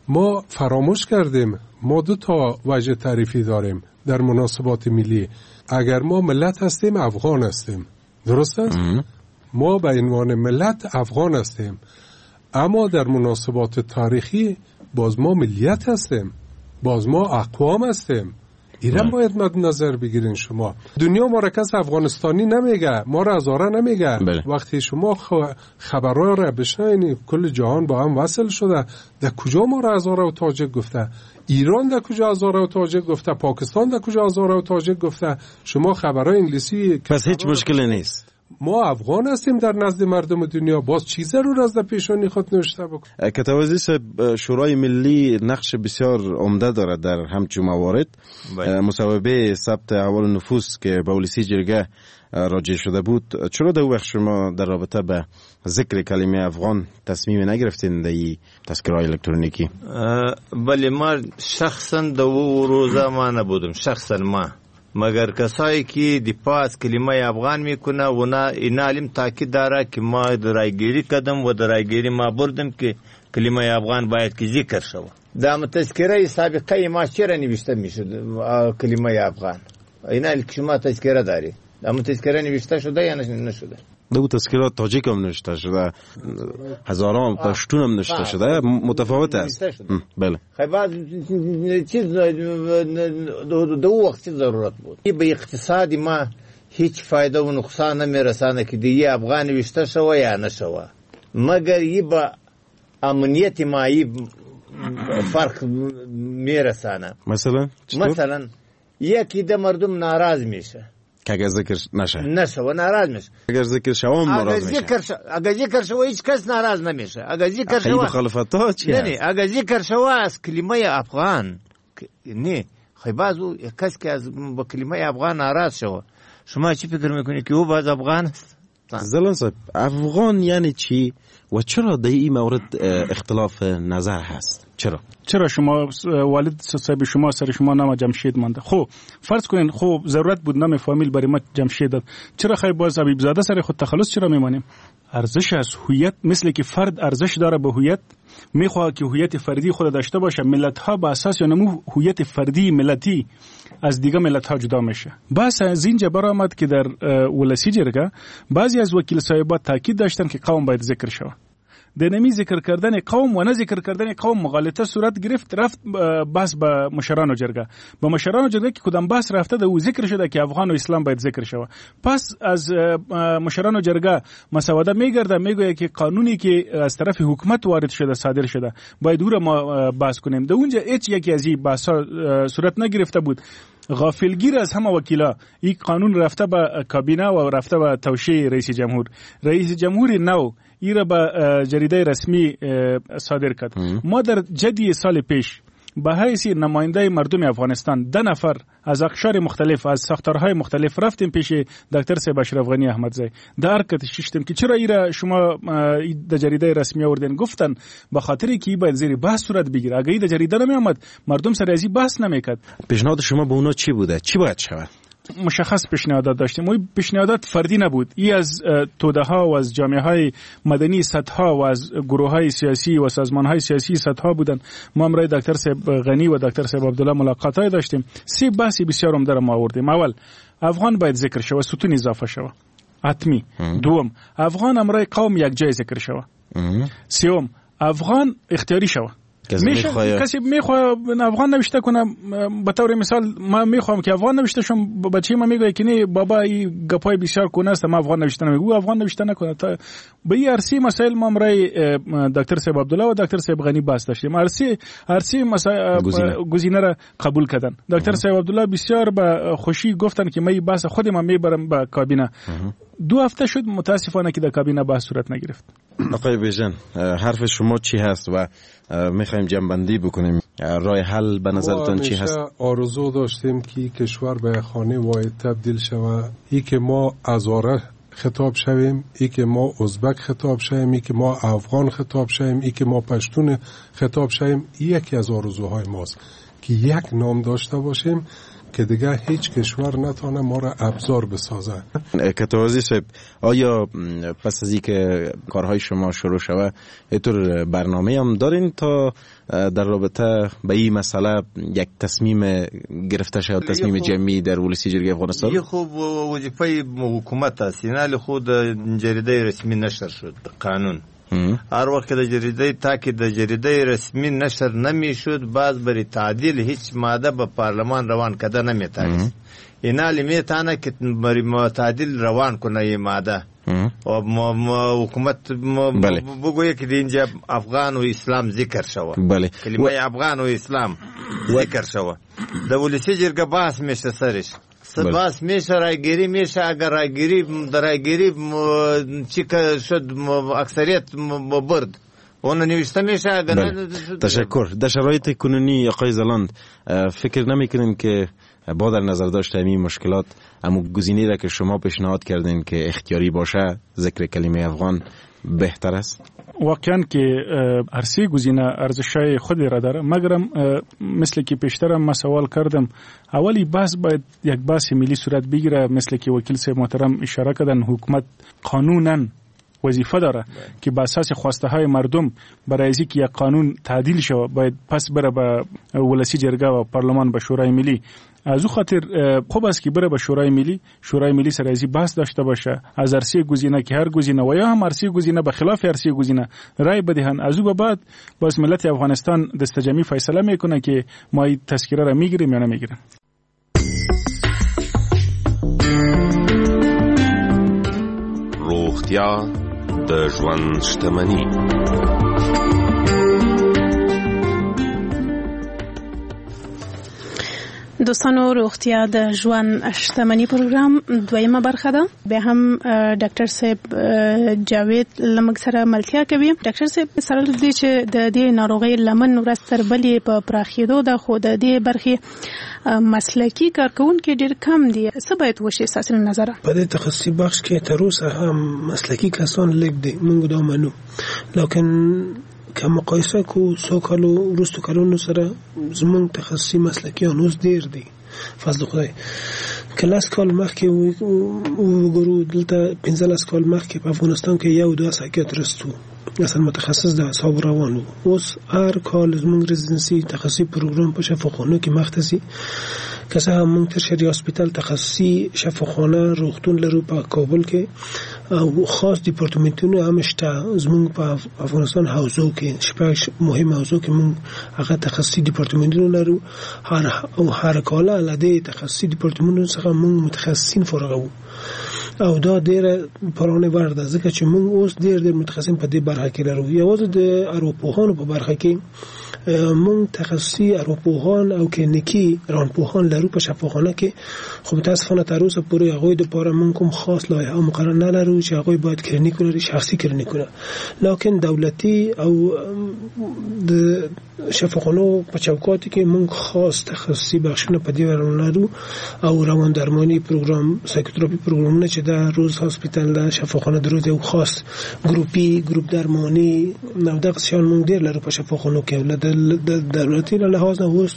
Speaker 17: ما فراموش کردیم ما دو تا وجه تعریفی داریم در مناسبات ملی. اگر ما ملت هستیم افغان هستیم، درست است؟ ما به عنوان ملت افغان هستیم، اما در مناسبات تاریخی باز ما ملیت هستیم، باز ما اقوام هستیم. ایران باید مد نظر بگیرین. شما دنیا ما را کس افغانستانی نمیگه، ما را هزاره نمیگه. بله. وقتی شما خبرها را بشنوین کل جهان با هم وصل شده، در کجا ما را هزاره و تاجک گفته؟ ایران در کجا هزاره و تاجک گفته؟ پاکستان در کجا هزاره و تاجک گفته؟ شما خبرهای انگلیسی،
Speaker 5: پس هیچ مشکلی نیست.
Speaker 17: ما افغان هستیم در نزد مردم دنیا. باز چی ضرور از در پیشانی خود نوشته بکن؟
Speaker 5: کتوازی صاحب، شورای ملی نقش بسیار عمده دارد در همچون موارد. مصوبه ثبت احوال نفوس که به ولسی جرگه راجع شده بود، چرا در وقت شما در رابطه به ذکر کلمه افغان تصمیم نگرفتین در این تذکره الکترونیکی؟
Speaker 6: بله، ما شخصا در او روزا ما نبودم، شخصا ما، مگر کسایی که دفاع از کلمه افغان میکنه و نه اینا علم تاکید داره که ما درایگیری کردم و درایگیری ما بردم که کلمه افغان باید که ذکر شود. در تذکره سابقه ما چرا نوشته میشد کلمه افغان؟ اینا که شما تذکره داری، در تذکره نوشته شده یا نشده؟
Speaker 5: دو تذکره تاجیک هم نوشته شده، هزاران پشتون هم نوشته شده، متفاوت است. بله.
Speaker 6: خیلی بعض چیز دو وقت ضرورت بود. به اقتصاد ما هیچ فایده و نقصان نمیرسانه که دیگه افغان نوشته شوه یا نشوه، مگر یه با امنیت ما یه فرق میرسانه.
Speaker 5: مثلا
Speaker 6: مثلا یکی ده مردم ناراض میشه
Speaker 5: که اگر ذکر نشه
Speaker 6: نشه و ناراض میشه.
Speaker 5: اگر ذکر شوه هم ناراض میشه.
Speaker 6: ذکر ش... اگر ذکر شوه هیچ کس ناراض نمیشه. اگر ذکر شوه
Speaker 5: مخالفت ها چی
Speaker 6: نه نه اگر ذکر شوه از کلمه افغان نه خیلی بعضو کس که از با کلمه افغان ناراض شوه، شما چی فکر میکنی که او باز افغان است؟
Speaker 5: زلان صاحب، افغان یعنی چی و چرا در این مورد اختلاف نظر هست؟ چرا؟
Speaker 3: چرا شما والد صاحب شما سر شما نام جمشید مانده؟ خب فرض کنین خب ضرورت بود نام فامیل برای ما جمشید داد، چرا خیلی باز حبیب زاده سر خود تخلص چرا میمانیم؟ ارزش از هویت، مثل که فرد ارزش داره به هویت، میخواد که هویت فردی خود داشته باشه. ملت ها به اساس نمو هویت فردی ملتی از دیگه ملت ها جدا میشه. بس از اینجا برآمد که در ولسی جرگه بعضی از وکیل صاحبا تاکید داشتن که قوم باید ذکر شود. د نمی ذکر کردن قوم و نه ذکر کردن قوم مغالطه صورت گرفت، رفت بحث به مشرانو جرگه. به مشرانو جرگه که کدام بحث رفته ده او ذکر شده که افغان و اسلام باید ذکر شود. پس از مشرانو جرگه مسوده میگرده، میگوید که قانونی که از طرف حکومت وارد شده صادر شده باید او را ما بحث کنیم. ده اونجا هیچ یکی از این بحث صورت نگرفته بود. غافلگیر از همه وکیلا این قانون رفته به کابینه و رفته به توشیح رئیس جمهور. رئیس جمهور نو ای را به جریده رسمی صادر کرد. ما در جدی سال پیش به حیث نماینده مردم افغانستان ده نفر از اقشار مختلف، از ساختارهای مختلف رفتیم پیش دکتر صاحب اشرف غنی احمدزی، در کت ششتیم که چرا ایرا شما در جریده رسمی آوردین؟ گفتن به خاطر که باید زیر بحث صورت بگیره، اگه در جریده نمی آمد مردم سر از بحث نمیکرد.
Speaker 5: پیشنهاد شما به اونا چی بوده؟ چی باید شود؟
Speaker 3: مشخص پیشنهادات داشتیم. و پیشنهادات فردی نبود، ای از توده ها و از جامعه های مدنی سطح و از گروه های سیاسی و سازمان های سیاسی سطح بودن. ما همراه دکتر صاحب غنی و دکتر صاحب عبدالله ملاقات های داشتیم. سه بحث بسیار عمده را ما آوردیم. اول، افغان باید ذکر شود، ستون اضافه شود حتمی. دوم، افغان همراه قوم یک جای ذکر شود. سوم، افغان اختیاری شود. میشه کسی میخواد افغان نوشته کنه، به طور مثال ما میخوام که افغان نوشته شم، بچه ما میگه که نه بابا این گپای بسیار کونه است، ما افغان نوشته نمیگو، افغان نوشته نکنه. تا به این ارسی مسائل ما امرای دکتر صاحب عبدالله و دکتر صاحب غنی بحث داشتیم. ارسی ارسی مسائل گزینه را قبول کردن. دکتر صاحب عبدالله بسیار به خوشی گفتن که من این بحث خود ما میبرم به کابینه. دو هفته شد متاسفانه که در کابینه بحث صورت نگرفت.
Speaker 5: آقای بیژن، حرف شما چی هست و میخوایم جنبندی بکنیم؟ راه حل به نظرتان چی هست؟
Speaker 17: آرزو داشتیم که کشور به خانه واحد تبدیل شود، ای که ما هزاره خطاب شویم، ای که ما ازبک خطاب شویم، ای که ما افغان خطاب شویم، ای که ما پشتون خطاب شویم. یکی از آرزوهای ماست که یک نام داشته باشیم که دیگه هیچ کشور نتونه ما را ابزار بسازه.
Speaker 5: کتوازی صاحب، آیا پس از اینکه کارهای شما شروع شوه اینطور برنامه هم دارین تا در رابطه به این مسئله یک تصمیم گرفته شود، تصمیم جمعی در ولسی جرگه افغانستان؟
Speaker 6: یه خوب وظیفه حکومت است. اینال خود جریده رسمی نشر شد قانون. هر وقت که د جریده تا که د جریده رسمی نشر نمیشد، باز بری تعدیل هیچ ماده به پارلمان روان کده نمیتانست. اینالی میتانه که بری تعدیل روان کنه این ماده و حکومت بگویه که اینجا افغان و اسلام ذکر شوه، کلمه افغان و اسلام ذکر شوه. د ولسی جرګه بحث میشه سرش، بس میشه رایگیری میشه. اگر رایگیری رایگیری چی شد اکثریت برد اون نوشته میشه. اگر
Speaker 5: بله. تشکر. در شرایط کنونی آقای زلاند فکر نمیکنین که با در نظر داشت همین مشکلات امو گزینه‌ای را که شما پیشنهاد کردین که اختیاری باشه ذکر کلمه افغان بهتر است؟
Speaker 3: واقعا که هر سه گزینه ارزش‌های خود را داره، مگرم مثل که پیشترم ما سوال کردم، اولی بحث باید یک بحث ملی صورت بگیره. مثل که وکیل صاحب محترم اشاره کردن، حکومت قانونا وظیفه داره که به اساس خواسته های مردم برای از اینکه یک قانون تعدیل شود باید پس بره به ولسی جرگه و پارلمان به شورای ملی. از او خاطر خوب است که بره به شورای ملی، شورای ملی سر از بحث داشته باشه، از هر گزینه که هر گزینه و یا هم هر گزینه به خلاف هر گزینه رای بدهند. از او به بعد باز ملت افغانستان دست جمعی فیصله میکنه که ما این تذکره را میگیریم یا نمیگیریم.
Speaker 7: روغتیا د ژوند شتمني.
Speaker 8: دوستانو، روغتیا د ژوند شتمني پروګرام دویمه برخه ده. به هم ډاکټر صاحب جاوید لمګ سره ملتیا کوي. ډاکټر صاحب، سره له دې چې د دې ناروغۍ لمن ورځ تر بلې په پراخېدو ده، خو د دې برخې مسلکي کارکوونکي ډېر کم دي. څه باید وشي ستاسو له نظره؟
Speaker 9: په دې تخصصي بخش کې تر اوسه هم مسلکي کسان لږ دي، موږ دا منو، لکن که مقایسه کو څو کالو وروستو کلونو سره زموږ تخصصي مسلکیان اوس ډېر دي، فضل خدای. که لس کال مخکې وګورو، دلته پنځلس کال مخکې په افغانستان کې یو دوه سایکیاتریست وو، اصلا متخصص د اعصاب روان وو. اوس هر کال زموږ residency تخصصي پروګرام په شفاخانو کې مخته ځي. که څه هم موږ tertiary hospital تخصصي شفاخانه روغتون لرو په کابل کې، او خاص دیپارتمنتونه هم شته زموږ په افغانستان حوزو کې، شپږ مهم حوزو کې موږ هغه تخصصي دیپارتمنتونه لرو. هر او هر کال له دې تخصصي دیپارتمنتونو څخه موږ متخصصین فارغوو، او دا ډیره پرانه وړ ده، ځکه چې موږ اوس ډیر ډیر متخصصین په دې برخه کې لرو. یوازې د ارواپوهانو په برخه کې موږ تخصصي ارواپوهان او کلینیکي روانپوهان لرو په شفاخانه کې، خو متاسفانه تر اوسه پورې هغوی دپاره موږ کوم خاص لایحه او مقرره نه لرو چې هغوی باید کلینیک ولري، شخصي کلینیکونه. لکن دولتي او د شفاخانو په چوکات کې موږ خاص تخصصي بخشونه په دې لرو، او روان درمانی پروګرام، psychotherapy پروګرامونه چې د روز hospital د شفاخانه د روز یو خاص ګروپي ګروپ درمانی او دغه شیان موږ ډیر لرو په شفاخانو کې. د دولتي له لحاظ نه اوس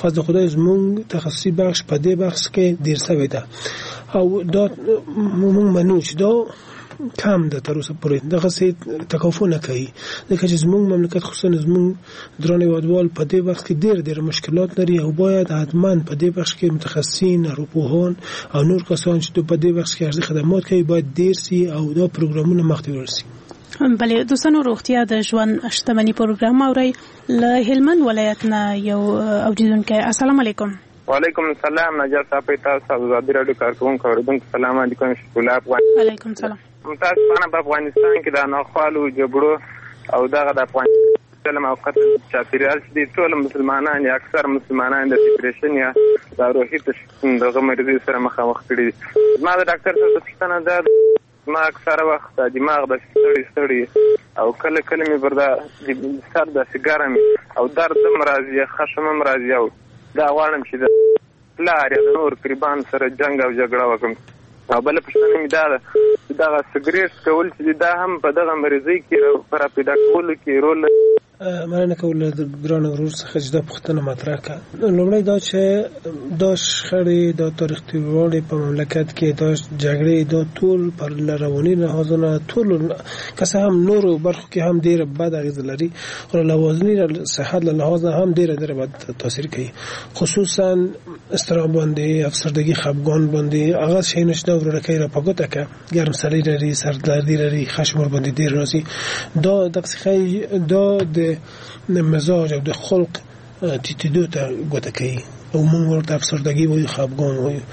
Speaker 9: فضل خدای زموږ تخصصي بخش په دې بخش کې ډیر سوی ده، او دا موږ منو چې دا کم ده تر اوسه پورې، دغسې تکافو نه کوي، ځکه چې زموږ مملکت خصوصا زموږ درانه هېوادوال په دې بخش کې ډېر ډېر مشکلات لري، او باید حتما په دې بخش کې متخصصین، ارواپوهان او نور کسان چې په دې بخش کې ارزي خدمات کوي باید ډېر سي او دا پروګرامونه مخته وړل سي.
Speaker 8: بله دوستانو، روغتیا د ژوند شتمني پروګرام اورئ. له هلمند ولایت نه یو اوریدونکی. السلام علیکم.
Speaker 24: وعلیکم السلام. نجار صاحب، تاسو ازادي راډیو کارکوونکو اوریدونکو سلام علیکم. شکر الله افغان.
Speaker 8: وعلیکم سلام.
Speaker 24: متاسفانه په افغانستان کې د ناخوالو جګړو او دغه د افغانستان او قتل چاپیریال چې دي، ټول مسلمانان یا اکثر مسلمانان د depression یا د روحي دغه مریضۍ سره مخامخ کړي دي. زما د ډاکټر صاحب پوښتنه ده، ما اکثره وخت دماغ داسې ستړی ستړی او کله کله مې پر دا سر داسې ګرم او درد هم راځي، خشم هم راځي، او دا غواړم چې د پلار یا د نور قریبان سره جنګ او جګړه وکړم. او بله پوښتنه مې دا ده چې دغه سګرېټ څکول چې دا هم په دغه مریضۍ کې په راپیدا کولو کې رول لري؟
Speaker 9: مننه کوم له ګران ورور څخه چې دا پوښتنه مطرح کړه. لومړی دا چې دا شخړې، دا تاریخ تېروالی په مملکت کې، دا جګړې، دا ټول پر رواني لحاظ نه ټول که څه هم نورو برخو کې هم ډېره بد اغېزه لري، خو له لوازني صحت له لحاظ نه هم ډېره ډېره بد تاثیر کوي، خصوصا اضطراب باندې، افسردګي، خفګان باندې. هغه شیونه چې دا ورورکۍ را په ګوته کړه، ګرم سړی لري، سردردي لري، خشم ورباندې ډېر راځي، دا دغسې ښیي دا د مزاج او د خلق تیتیدو ته ګوته کوي، او موږ ورته افسردګي وایو، خفګان وایو.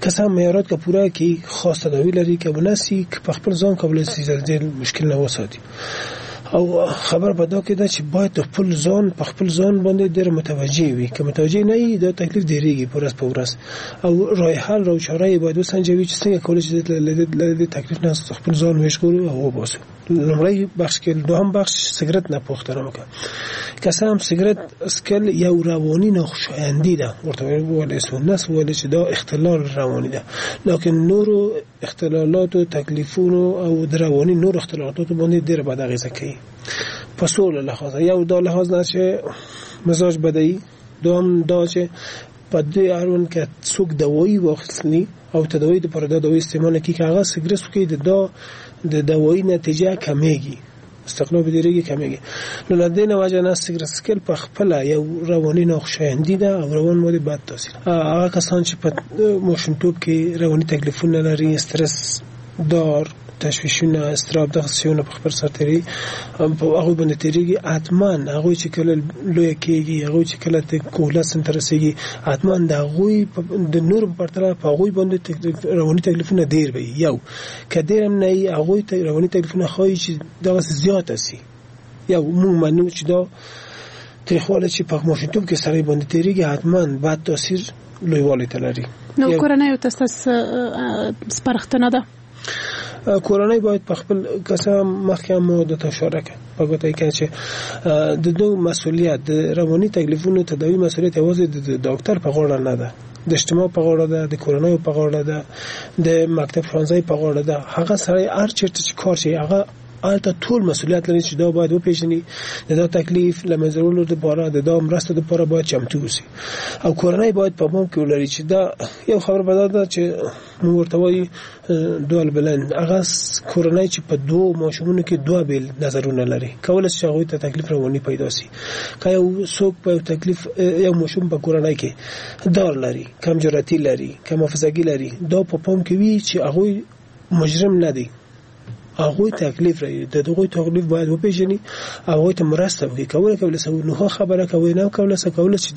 Speaker 9: که څه هم معیارات که پوره کړي، خاص تداوي لري، که ونه سي په خپل ځان کولای سي د دې مشکل نه وساتي. او خبر په دا کې ده چې باید خپل ځان په خپل ځان باندې ډېر متوجه وي، که متوجه نه وي دا تکلیف ډېرېږي په ورځ په ورځ، او راه حل او چاره یې باید وسنجوي چې څنګه کولی شي له دې تکلیف نه خپل ځان وژغورو او وباسو. لومړی بخش کې. دوهم بخش سګرټ نه پوښتنه وکړه. که څه هم سګرټ څکل یو رواني ناخوشایندي ده، ورته وویلی سو، نه سو ویلی چې دا اختلال رواني ده، لکن نورو اختلالاتو، تکلیفونو او د رواني نور اختلالاتو باندې ډېره بده اغېزه کوي په سوله لحاظ. یو دا لحاظ نه چې مزاج بدوي، دوهم دا چې په دې اړوند که څوک دوایي واخلي او تداوي د پر دا دوایي استعمال کوي، که هغه سګرټ وکړي د دا د دوایي نتیجه کمیږي، استقلاب ډیریږي، کمیږي. نو له دې نه وجه نه سګرټ څکل په خپله یو رواني ناخوشایندي ده او روان باندې بد تاثیر. هغه کسان چې په ماشومتوب کې رواني تکلیفونه لري، استرس دار، تشویشونه، اضطراب، دغه شیونه په خپل سر تیریږي، په هغوی باندې تیریږي. حتما هغوی چې کله لوی کیږي، هغوی چې کله د کهولت سن ته رسیږي، حتما د هغوی د نورو په پرتله په هغوی باندې رواني تکلیفونه ډیر وي. یو که ډیر هم نه وي، هغوی ته رواني تکلیفونه ښایي چې دغسې زیاته سي. یو موږ منو چې دا تریخوالی چې په ماشومتوب کې سړی باندې تیریږي، حتما بد تاثیر لویوالي ته لري.
Speaker 8: نو کورنیو ته ستاسو سپارښتنه ده؟
Speaker 9: کورنۍ باید په خپل که مخکې هم مو درته اشاره کړه په ګوته یې کړه چې د دوی مسئولیت د رواني تکلیفونو تداوي مسئولیت یوازې د ډاکټر په غاړه نه ده، د اجتماع په غاړه ده، د کورنیو په غاړه ده، د مکتب ښوونځي په غاړه ده. هغه سړی هر چېرته چې کار شي هغه هلته ټول مسئولیت لري چې دا باید وپېژني، د دا تکلیف له منځه وړلو دپاره، د دا مرستو دپاره باید چمتو اوسي. او کورنۍ باید په پام کې ولري چې دا یو خبره به دا ده چې موږ ورته وایو دوال بلند، هغه کورنۍ چې په دوو ماشومونو کې دوه بېل نظرونه لري، کولی شي چې هغوی ته تکلیف رواني پیدا سي. که یو څوک په یو تکلیف، یو ماشوم په کورنۍ کې دار لري، کم جرأتي لري، کم حافظګي لري، دا په پام کې وي چې هغوی مجرم نه دي، هغوی تکلیف لري، د هغوی تکلیف باید وپېژني، هغوی ته مرسته وکړي. کولی کولی سي نو خبره کوي نه کولی سي کولی چې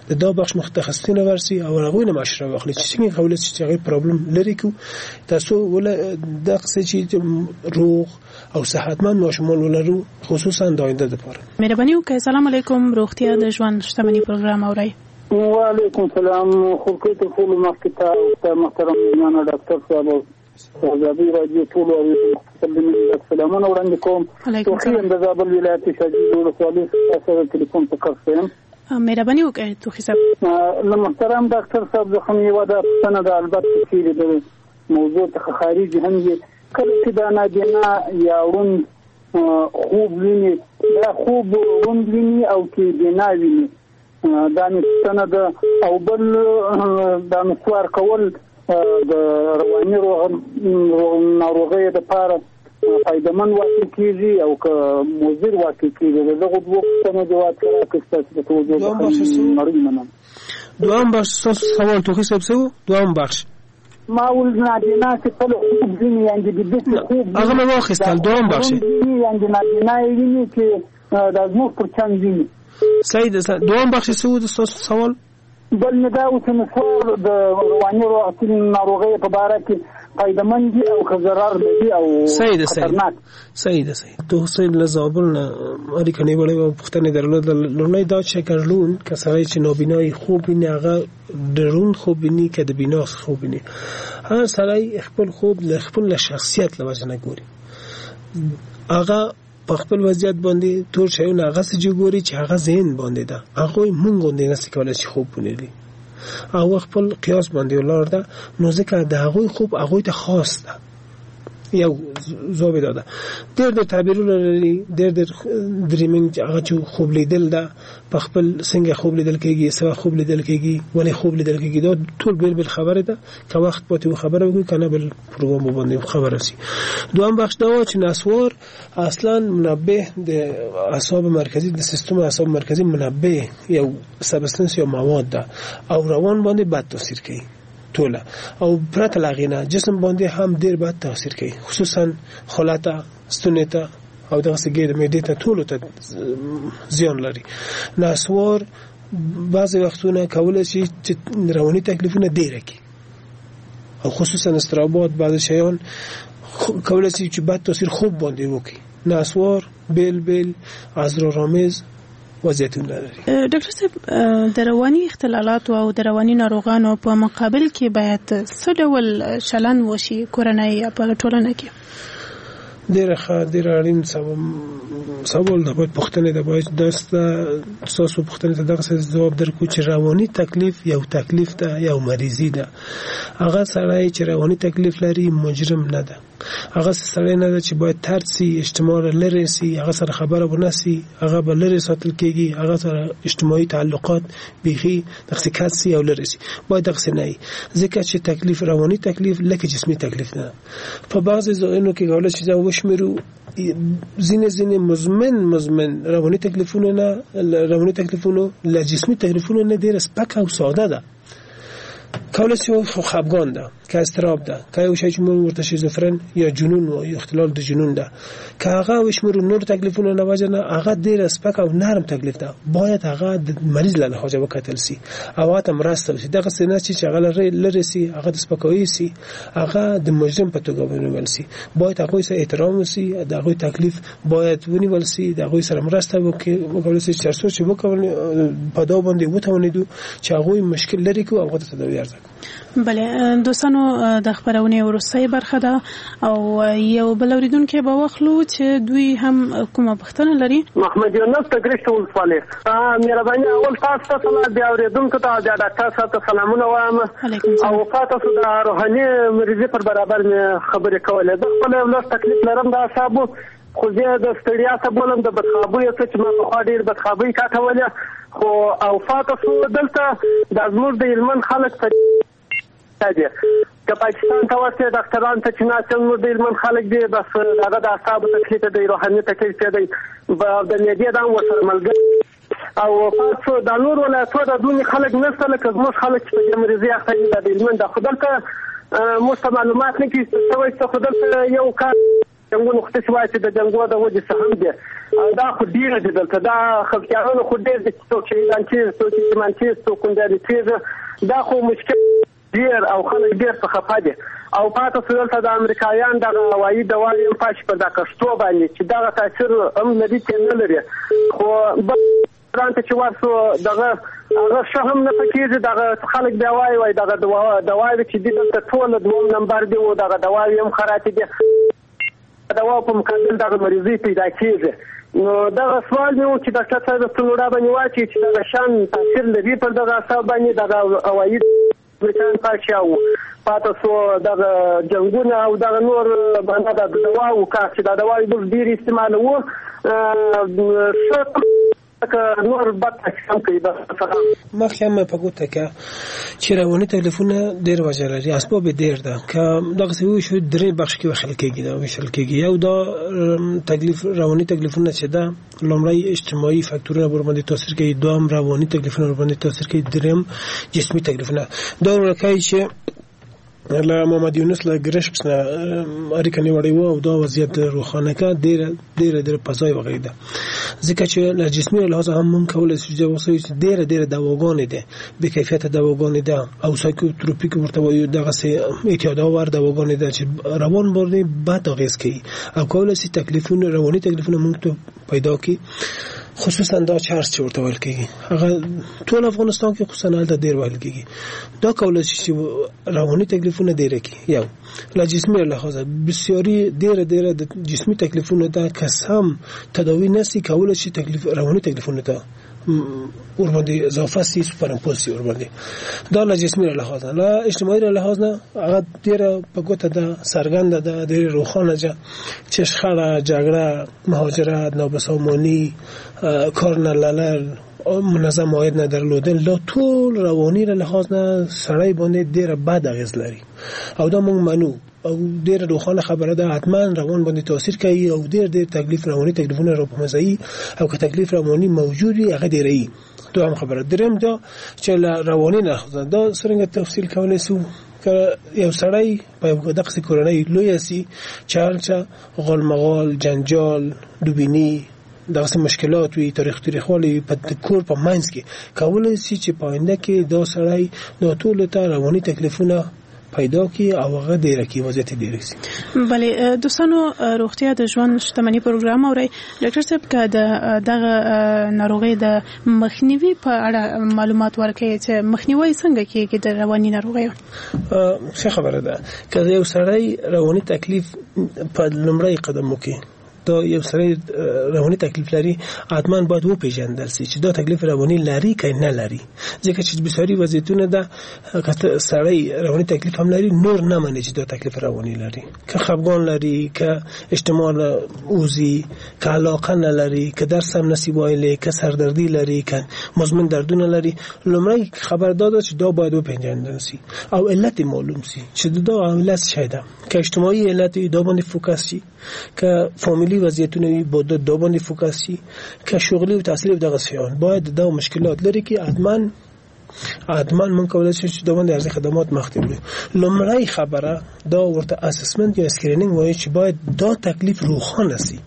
Speaker 9: د دا بخش متخصصین ورسي او هغوی نه مشوره واخلي چې څنګه کولی سي چې هغوی پرابلم لرې کړو، ترڅو وله دغسې چې روغ او صحتمند ماشومان ولرو، خصوصا د آینده دپاره.
Speaker 8: مهرباني وکړئ. سلام علیکم، روغتیا د ژوند شتمني پروګرام اورئ.
Speaker 10: وعلیکم سلام. خورکۍ تر ټولو مخکې ته محترم میلمانه ډاکټر صاحب ازادي راډیو ټولو اورېدونکو ته د مینې سلامونه وړاندې کوم. توخي یم د زابل ولایت شاجوی ولسوالۍ څخه سره تلیفون په کرښه یم.
Speaker 8: مهرباني وکړئ توخي صاحب.
Speaker 10: له محترم ډاکټر صاحب څخه مې یوه دا پوښتنه ده، البته چیرې د موضوع څخه خارج هم وي. کله چې دا نابینا یا ړوند خوب ویني، دا خوب ړوند ویني او که بینا ویني؟ دا مې پوښتنه ده. او بل دا نسوار کول د رواني ناروغۍ دپاره فایدهمند واقع کېږي او که مضر واقع کېږي؟ د دغو دوو پوښتنو جواب که راکړئ ستاسو د توجه نړۍ مننه.
Speaker 9: دوهم بخش ستاسو سوال توخي صاحب څه و؟ دوهم بخش
Speaker 10: ما ول نابینا چې کله خوب ویني، یعنې د داسې خوب
Speaker 9: هغه مې واخیستل. دوهم بخش
Speaker 10: یعنې نابینا یې ویني چې دا زموږ پر چم ویني.
Speaker 9: صحیح ده. دوهم بخش څه و ستاسو سوال؟
Speaker 10: بل مې دا و چې نسوار د رواني ناروغۍ په باره کې فایدهمند دي او که ضرر لري او خطرناک؟
Speaker 9: صحیح ده. صحیح. تو حسین له زابل نه اړیکه نیولې وه، پوښتنه یې درلوده. لومړی دا چې که ړوند که سړی چې نابینایي خوب ویني، هغه د ړوند خوب ویني که د بینا خوب ویني؟ هر سړی خپل خوب له خپل له شخصیت له وجې نه ګوري، هغه په خپل وضعیت باندې تور شیونه هغسې چې ګوري چې هغه ذهن باندې ده، هغوی مونږ غوندې نسي کولی چې خوب ولري، هغه خپل قیاس باندې ولاړ ده، نو ځکه د هغوی خوب هغوی ته خاص ده. یو ځواب یې دا ده. ډېر ډېر تعبیرونه لري، ډېر ډېر dreaming چې هغه چې خوب لیدل ده، په خپل څنګه خوب لیدل کېږي، څه وخت خوب لیدل کېږي، ولې خوب لیدل کېږي، دا ټول بېل بېل خبرې ده. که وخت پاتې و خبره وکړو، که نه بل پروګرام باندې خبره سي. دوهم بخش دا و چې نسوار اصلا منبه د اعصاب مرکزي، د سیستم اعصاب مرکزي منبه یو substance یا مواد ده او روان باندې بد تاثیر کوي ټوله، او پرته له هغې نه جسم باندې هم ډېر بد تاثیر کوي، خصوصا خوله ته، ستونې ته او دغسې ګېډې معدې ته ټولو ته زیان لري. نسوار بعضې وختونه کولی شي چې رواني تکلیفونه ډېره کړي، او خصوصا اضطرابات، بعضې شیان کولی شي چې بد تاثیر خوب باندې وکړي. نسوار بېل بېل اسرارآمیز وضعیتونه لري.
Speaker 8: ډاکټر صاحب، د رواني اختلالاتو او د رواني ناروغانو په مقابل کې باید څه ډول چلند وشي کورنۍ یا په ټولنه کې؟
Speaker 9: ډېره ښه، ډېر اړین سوال ده، باید پوښتنې ده، باید ستاسو پوښتنې ته دغسې ځواب درکړو چې رواني تکلیف یو تکلیف ده، یو مریضي ده. هغه سړی چې رواني تکلیف لري مجرم نه ده، هغه سړی نه ده چې باید طرد سي، اجتماع لرې سي، هغه سره خبره ونه سي، هغه به لرې ساتل کېږي، هغه سره اجتماعي تعلقات بیخي دغسې کت سي او لرې سي. باید دغسې نه وي، ځکه چې تکلیف رواني تکلیف لکه جسمي تکلیف نه. په بعضې ځایونو کې کولای شي چې وشمېرو ځینې ځینې مزمن مزمن رواني تکلیفونه نه، رواني تکلیفونو له جسمي تکلیفونو نه ډېره سپکه او ساده ده. کولای شي خو خفګان ده، که اضطراب ده، که یو شی چې موږ ورته شیزوفرن یا جنون وایو، اختلال د جنون ده، که هغه وشمېرو نور تکلیفونه نه وجه نه، هغه ډېره سپک او نرم تکلیف ده. باید هغه د مریض له لحاظه وکتل سي او هغه ته مرسته وشي. دغسې نه چې هغه لرې سي، هغه د سپکاوي سي، هغه د مجرم په توګه ونیول سي. باید هغوی سره احترام وسي، د هغوی تکلیف باید ونیول سي، د هغوی سره مرسته وکول سي، چې تر څو چې وکول په دا باندې وتوانېدو چې هغوی مشکل لرې کړو او هغه ته تداوي عرضه کړو.
Speaker 8: بله دوستانو، د خپرونې وروستۍ برخه ده او یو بل اوریدونکی به واخلو چې دوی هم کومه پوښتنه لري.
Speaker 12: محمد یونس د ګرشک ولسوالۍ. مهرباني، اول تاسو ته سلام، بیا اورېدونکو ته، بیا ډاکټر صاحب ته سلامونه وایم. او تاسو د روحاني مریضي پر برابر مې خبرې کولې. زه خپل یو لږ تکلیف لرم د اعصابو، خو زه د ستړیا څه بولم، د بدخوابۍ څه چې ما پخوا ډېر بدخوابۍ کاټولې، خو او فاته سو دلته د زموږ د هلمند خلک په دي که پاکستان ته ورسې ډاکټران ته چې ناست زموږ د هلمند خلک دي، بس هغه د اعصابو تکلیف دی، روحاني تکلیف دی، د معدې دا هم ورسره ملګری. او پات سو دا نور ولایتو دا دونې خلک نشته لکه زموږ خلک چې په دې مریضي اخته دي. دا د هلمند ده، خو دلته موږ ته معلومات نه کېږي څه شوی څه، خو دلته یو کار جنګونو خو داسې وایي چې د جنګو د وجې څه هم دي، دا خو ډېر دي دلته، دا خفګانونه خو ډېر دي چې څوک شهیدان کېږي، څوک یتیمان کېږي، څوک کونډیانې کېږي، دا خو مشکل ډېر او خلک ډېر په خفه دي. او پاته سو دلته د امریکایان دغه هوایي دواوې هم پاشي پر دا کښتو باندې چې دغه تاثیر هم لري چې نه لري، خو بل ته چې ورسو دغه هغه ښه هم نه پکېږي. دغه خلک بیا وایي وایي دغه دواوې چې دي دلته ټوله دوم نمبر دي او دغه دواوې هم خرابې دي، دوا په مقابل دغه مریضي پیدا کېږي. نو دغه سوال مې و چې ډاکټر صاحب څه لوړه باندې واچوي چې دغه شان تاثیر لري پر دغه اعصاب باندې دغه هوایي امریکایان پاشي او پاته سو دغه جنګونه او دغه نور باندې د دواو کار چې دا دواوې موږ ډېر استعمالوو، ښه نور بد تاثیر هم کوي.
Speaker 9: مخکې هم په ګوته که چې رواني تکلیفونه ډېر وجه لري، اسباب یې ډېر ده. که دغسې وویشو درې بخش کې ویشل کېږي، دا ویشل کېږي. یو دا تکلیف رواني تکلیفونه چې ده، لومړی اجتماعي فاکتورونه ورباندې تاثیر کوي، دوهم رواني تکلیفونه ورباندې تاثیر کوي، دریم جسمي تکلیفونه. دا ورکوي چې له محمد یونس له ګرشک نه اړیکه نیولې وه او دا وضعیت روښانه کړه، ډېره ډېره ډېره په ځای وغږېده، ځکه چې له جسمي لحاظه هم مونږ کولی شو چې اوس ډېره ډېره دواګانې ده، بې کیفیته دواګانې ده او سایکوتروپیک ورته وایو، دغسې اعتیادآور دواګانې ده چې روان باندې بد اغېز کوي او کولی شي تکلیفونه رواني تکلیفونه مونږ ته پیدا کړي. خصوصا دا چرس چې ورته ویل کېږي، هغه ټول افغانستان کې خصوصا هلته ډېر ویل کېږي، دا کولی شي چې رواني تکلیفونه ډېره کړي. یو له جسمي لحاظه بسیاري ډېره ډېره د جسمي تکلیفونه ده که سم تداوي نه سي کولی شي تکلیف رواني تکلیفونه ته ورباندې اضافه سي، superimpose سي ورباندې. دا له جسمي لحاظه. له اجتماعي لحاظ نه هغه ډېره په ګوته ده، څرګنده ده، ډېره روښانه ده چې شخړه، جګړه، مهاجرت، نابسامانی، کار نه لرل، منظم عاید نه درلودل، دا ټول رواني لحاظ نه سړی باندې ډېره بد اغېز لري او دا موږ منو او ډېره روښانه خبره ده، حتما روان باندې تاثیر کوي او ډېر ډېر تکلیف رواني تکلیفونه را په منځ او که تکلیف رواني موجود وي هغه ډېروي. دوهم خبره. دریم دا چې له رواني نه دا څرنګه تفصیل کولی سو که یو سړی په یو دغسې کورنۍ لویه سي چې هلته غالمغال، جنجال، دوبیني، دغسې مشکلات وي، تاریخ تاریخوالی وي په کور په منځ کې، کولی سي چې په آینده کې دا سړی دا ټولو ته رواني تکلیفونه پیدا کی او هغه ډیره کی وضعیت ډیر سي.
Speaker 8: بله دوستانو، روغتیا د ژوند شتمني پروګرام اورئ. ډاکټر صاحب که د دغه ناروغۍ د مخنیوي په اړه معلومات ورکړئ چې مخنیوي څنګه کیږي د رواني ناروغیو؟
Speaker 9: ښه خبره ده. که یو سړی رواني تکلیف په لومړی قدم وکړي، دا یو سړی رواني تکلیف لري، حتما باید وپیژندل سي چې دا تکلیف رواني لري که نه لري، ځکه چې بسیاری وضعیتونه ده که سړی رواني تکلیف هم لري نور نه مني چې دا تکلیف رواني لري، که خفګان لري، که اجتماع اوزي، که علاقه نه لري، که درس هم نسی ویلی، که سردردی لري، که مزمن دردونه لري. لومړی خبر دا ده چې دا باید وپیژندل سي او علت معلوم سي چې دا علت څه ده، که اجتماعي علت دا باندې focus شي، که فامیلی وضعیتونه وي باید دا باندې focus شي، که شغلی و تحصیلی دغه شیان باید دا مشکلات لري که حتما حتما مونږ کولای شو چې دا باندې ارزي خدمات مخته وړو. لومړی خبره دا ورته assessment یا screening وایي چې باید دا تکلیف روښانه سي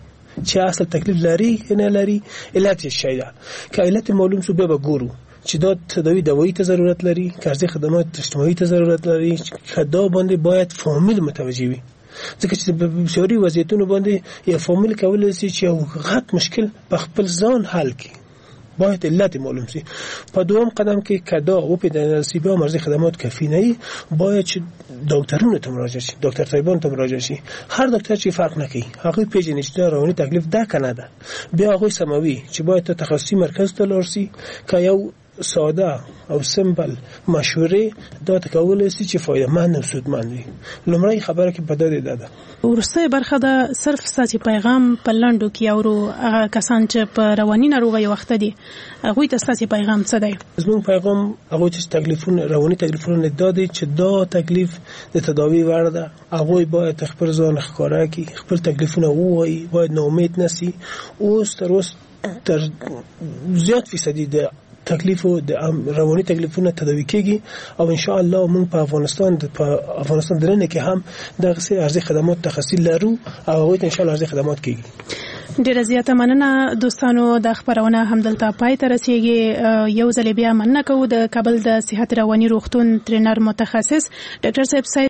Speaker 9: چې اصل تکلیف لري نه لري، علت یې شی ده، که علت معلوم شو بیا به ګورو چې دا تداوی دوایی ته ضرورت لري، که ارزي خدمات اجتماعي ته ضرورت لري، که دا باندې باید فامیل متوجه وي، ځکه چې په بسیاری وضعیتونو باندې یو فامیل کولای شي چې یو غټ مشکل په خپل ځان حل کړي، باید علت معلوم شي. په دوم قدم کې که دا وپیژندل شي بیا مرزي خدمات کافي نه وي، باید چې ډاکټرونو ته مراجعه شي، ډاکټر صاحبانو ته مراجعه شي. هر ډاکټر چې فرق نه کوي، هغوی پیژني چې دا رواني تکلیف ده که نه ده، بیا هغوی سموي چې باید ته تخصصي مرکز ته لاړ شي، که یو ساده او simple مشورې دا ته کولای شي چې فایدهمند او سودمند وي. لومړی خبره کې په دا ده ده
Speaker 8: وروستۍ برخه ده، صرف ستاسو پیغام په لنډو کې اورو. هغه کسان چې په رواني ناروغیو اخته دي هغوی ته ستاسو پیغام څه دی؟
Speaker 9: زموږ پیغام هغوی چې تکلیفونه رواني تکلیفونه دا دی چې دا تکلیف د تداوی وړ ده، هغوی باید خپل ځان ښکاره کړي، خپل تکلیفونه ووایي، باید ناامید نه سي. اوس تر اوس تر زیات فیصدي د تکلیف د رواني تکلیفونه تداوی کیږي او ان شاء الله موږ په افغانستان په افغانستان درنه کې هم دغه ارزي خدمات تخصصي لرو او هغوی ته ان شاء الله ارزي خدمات کیږي.
Speaker 8: ډیره زیاته مننه دوستانو، دا خبرونه هم دلته پای ته رسیږي. یو ځل بیا مننه کوو د کابل د صحت رواني روغتون ترینر متخصص ډاکټر صاحب سید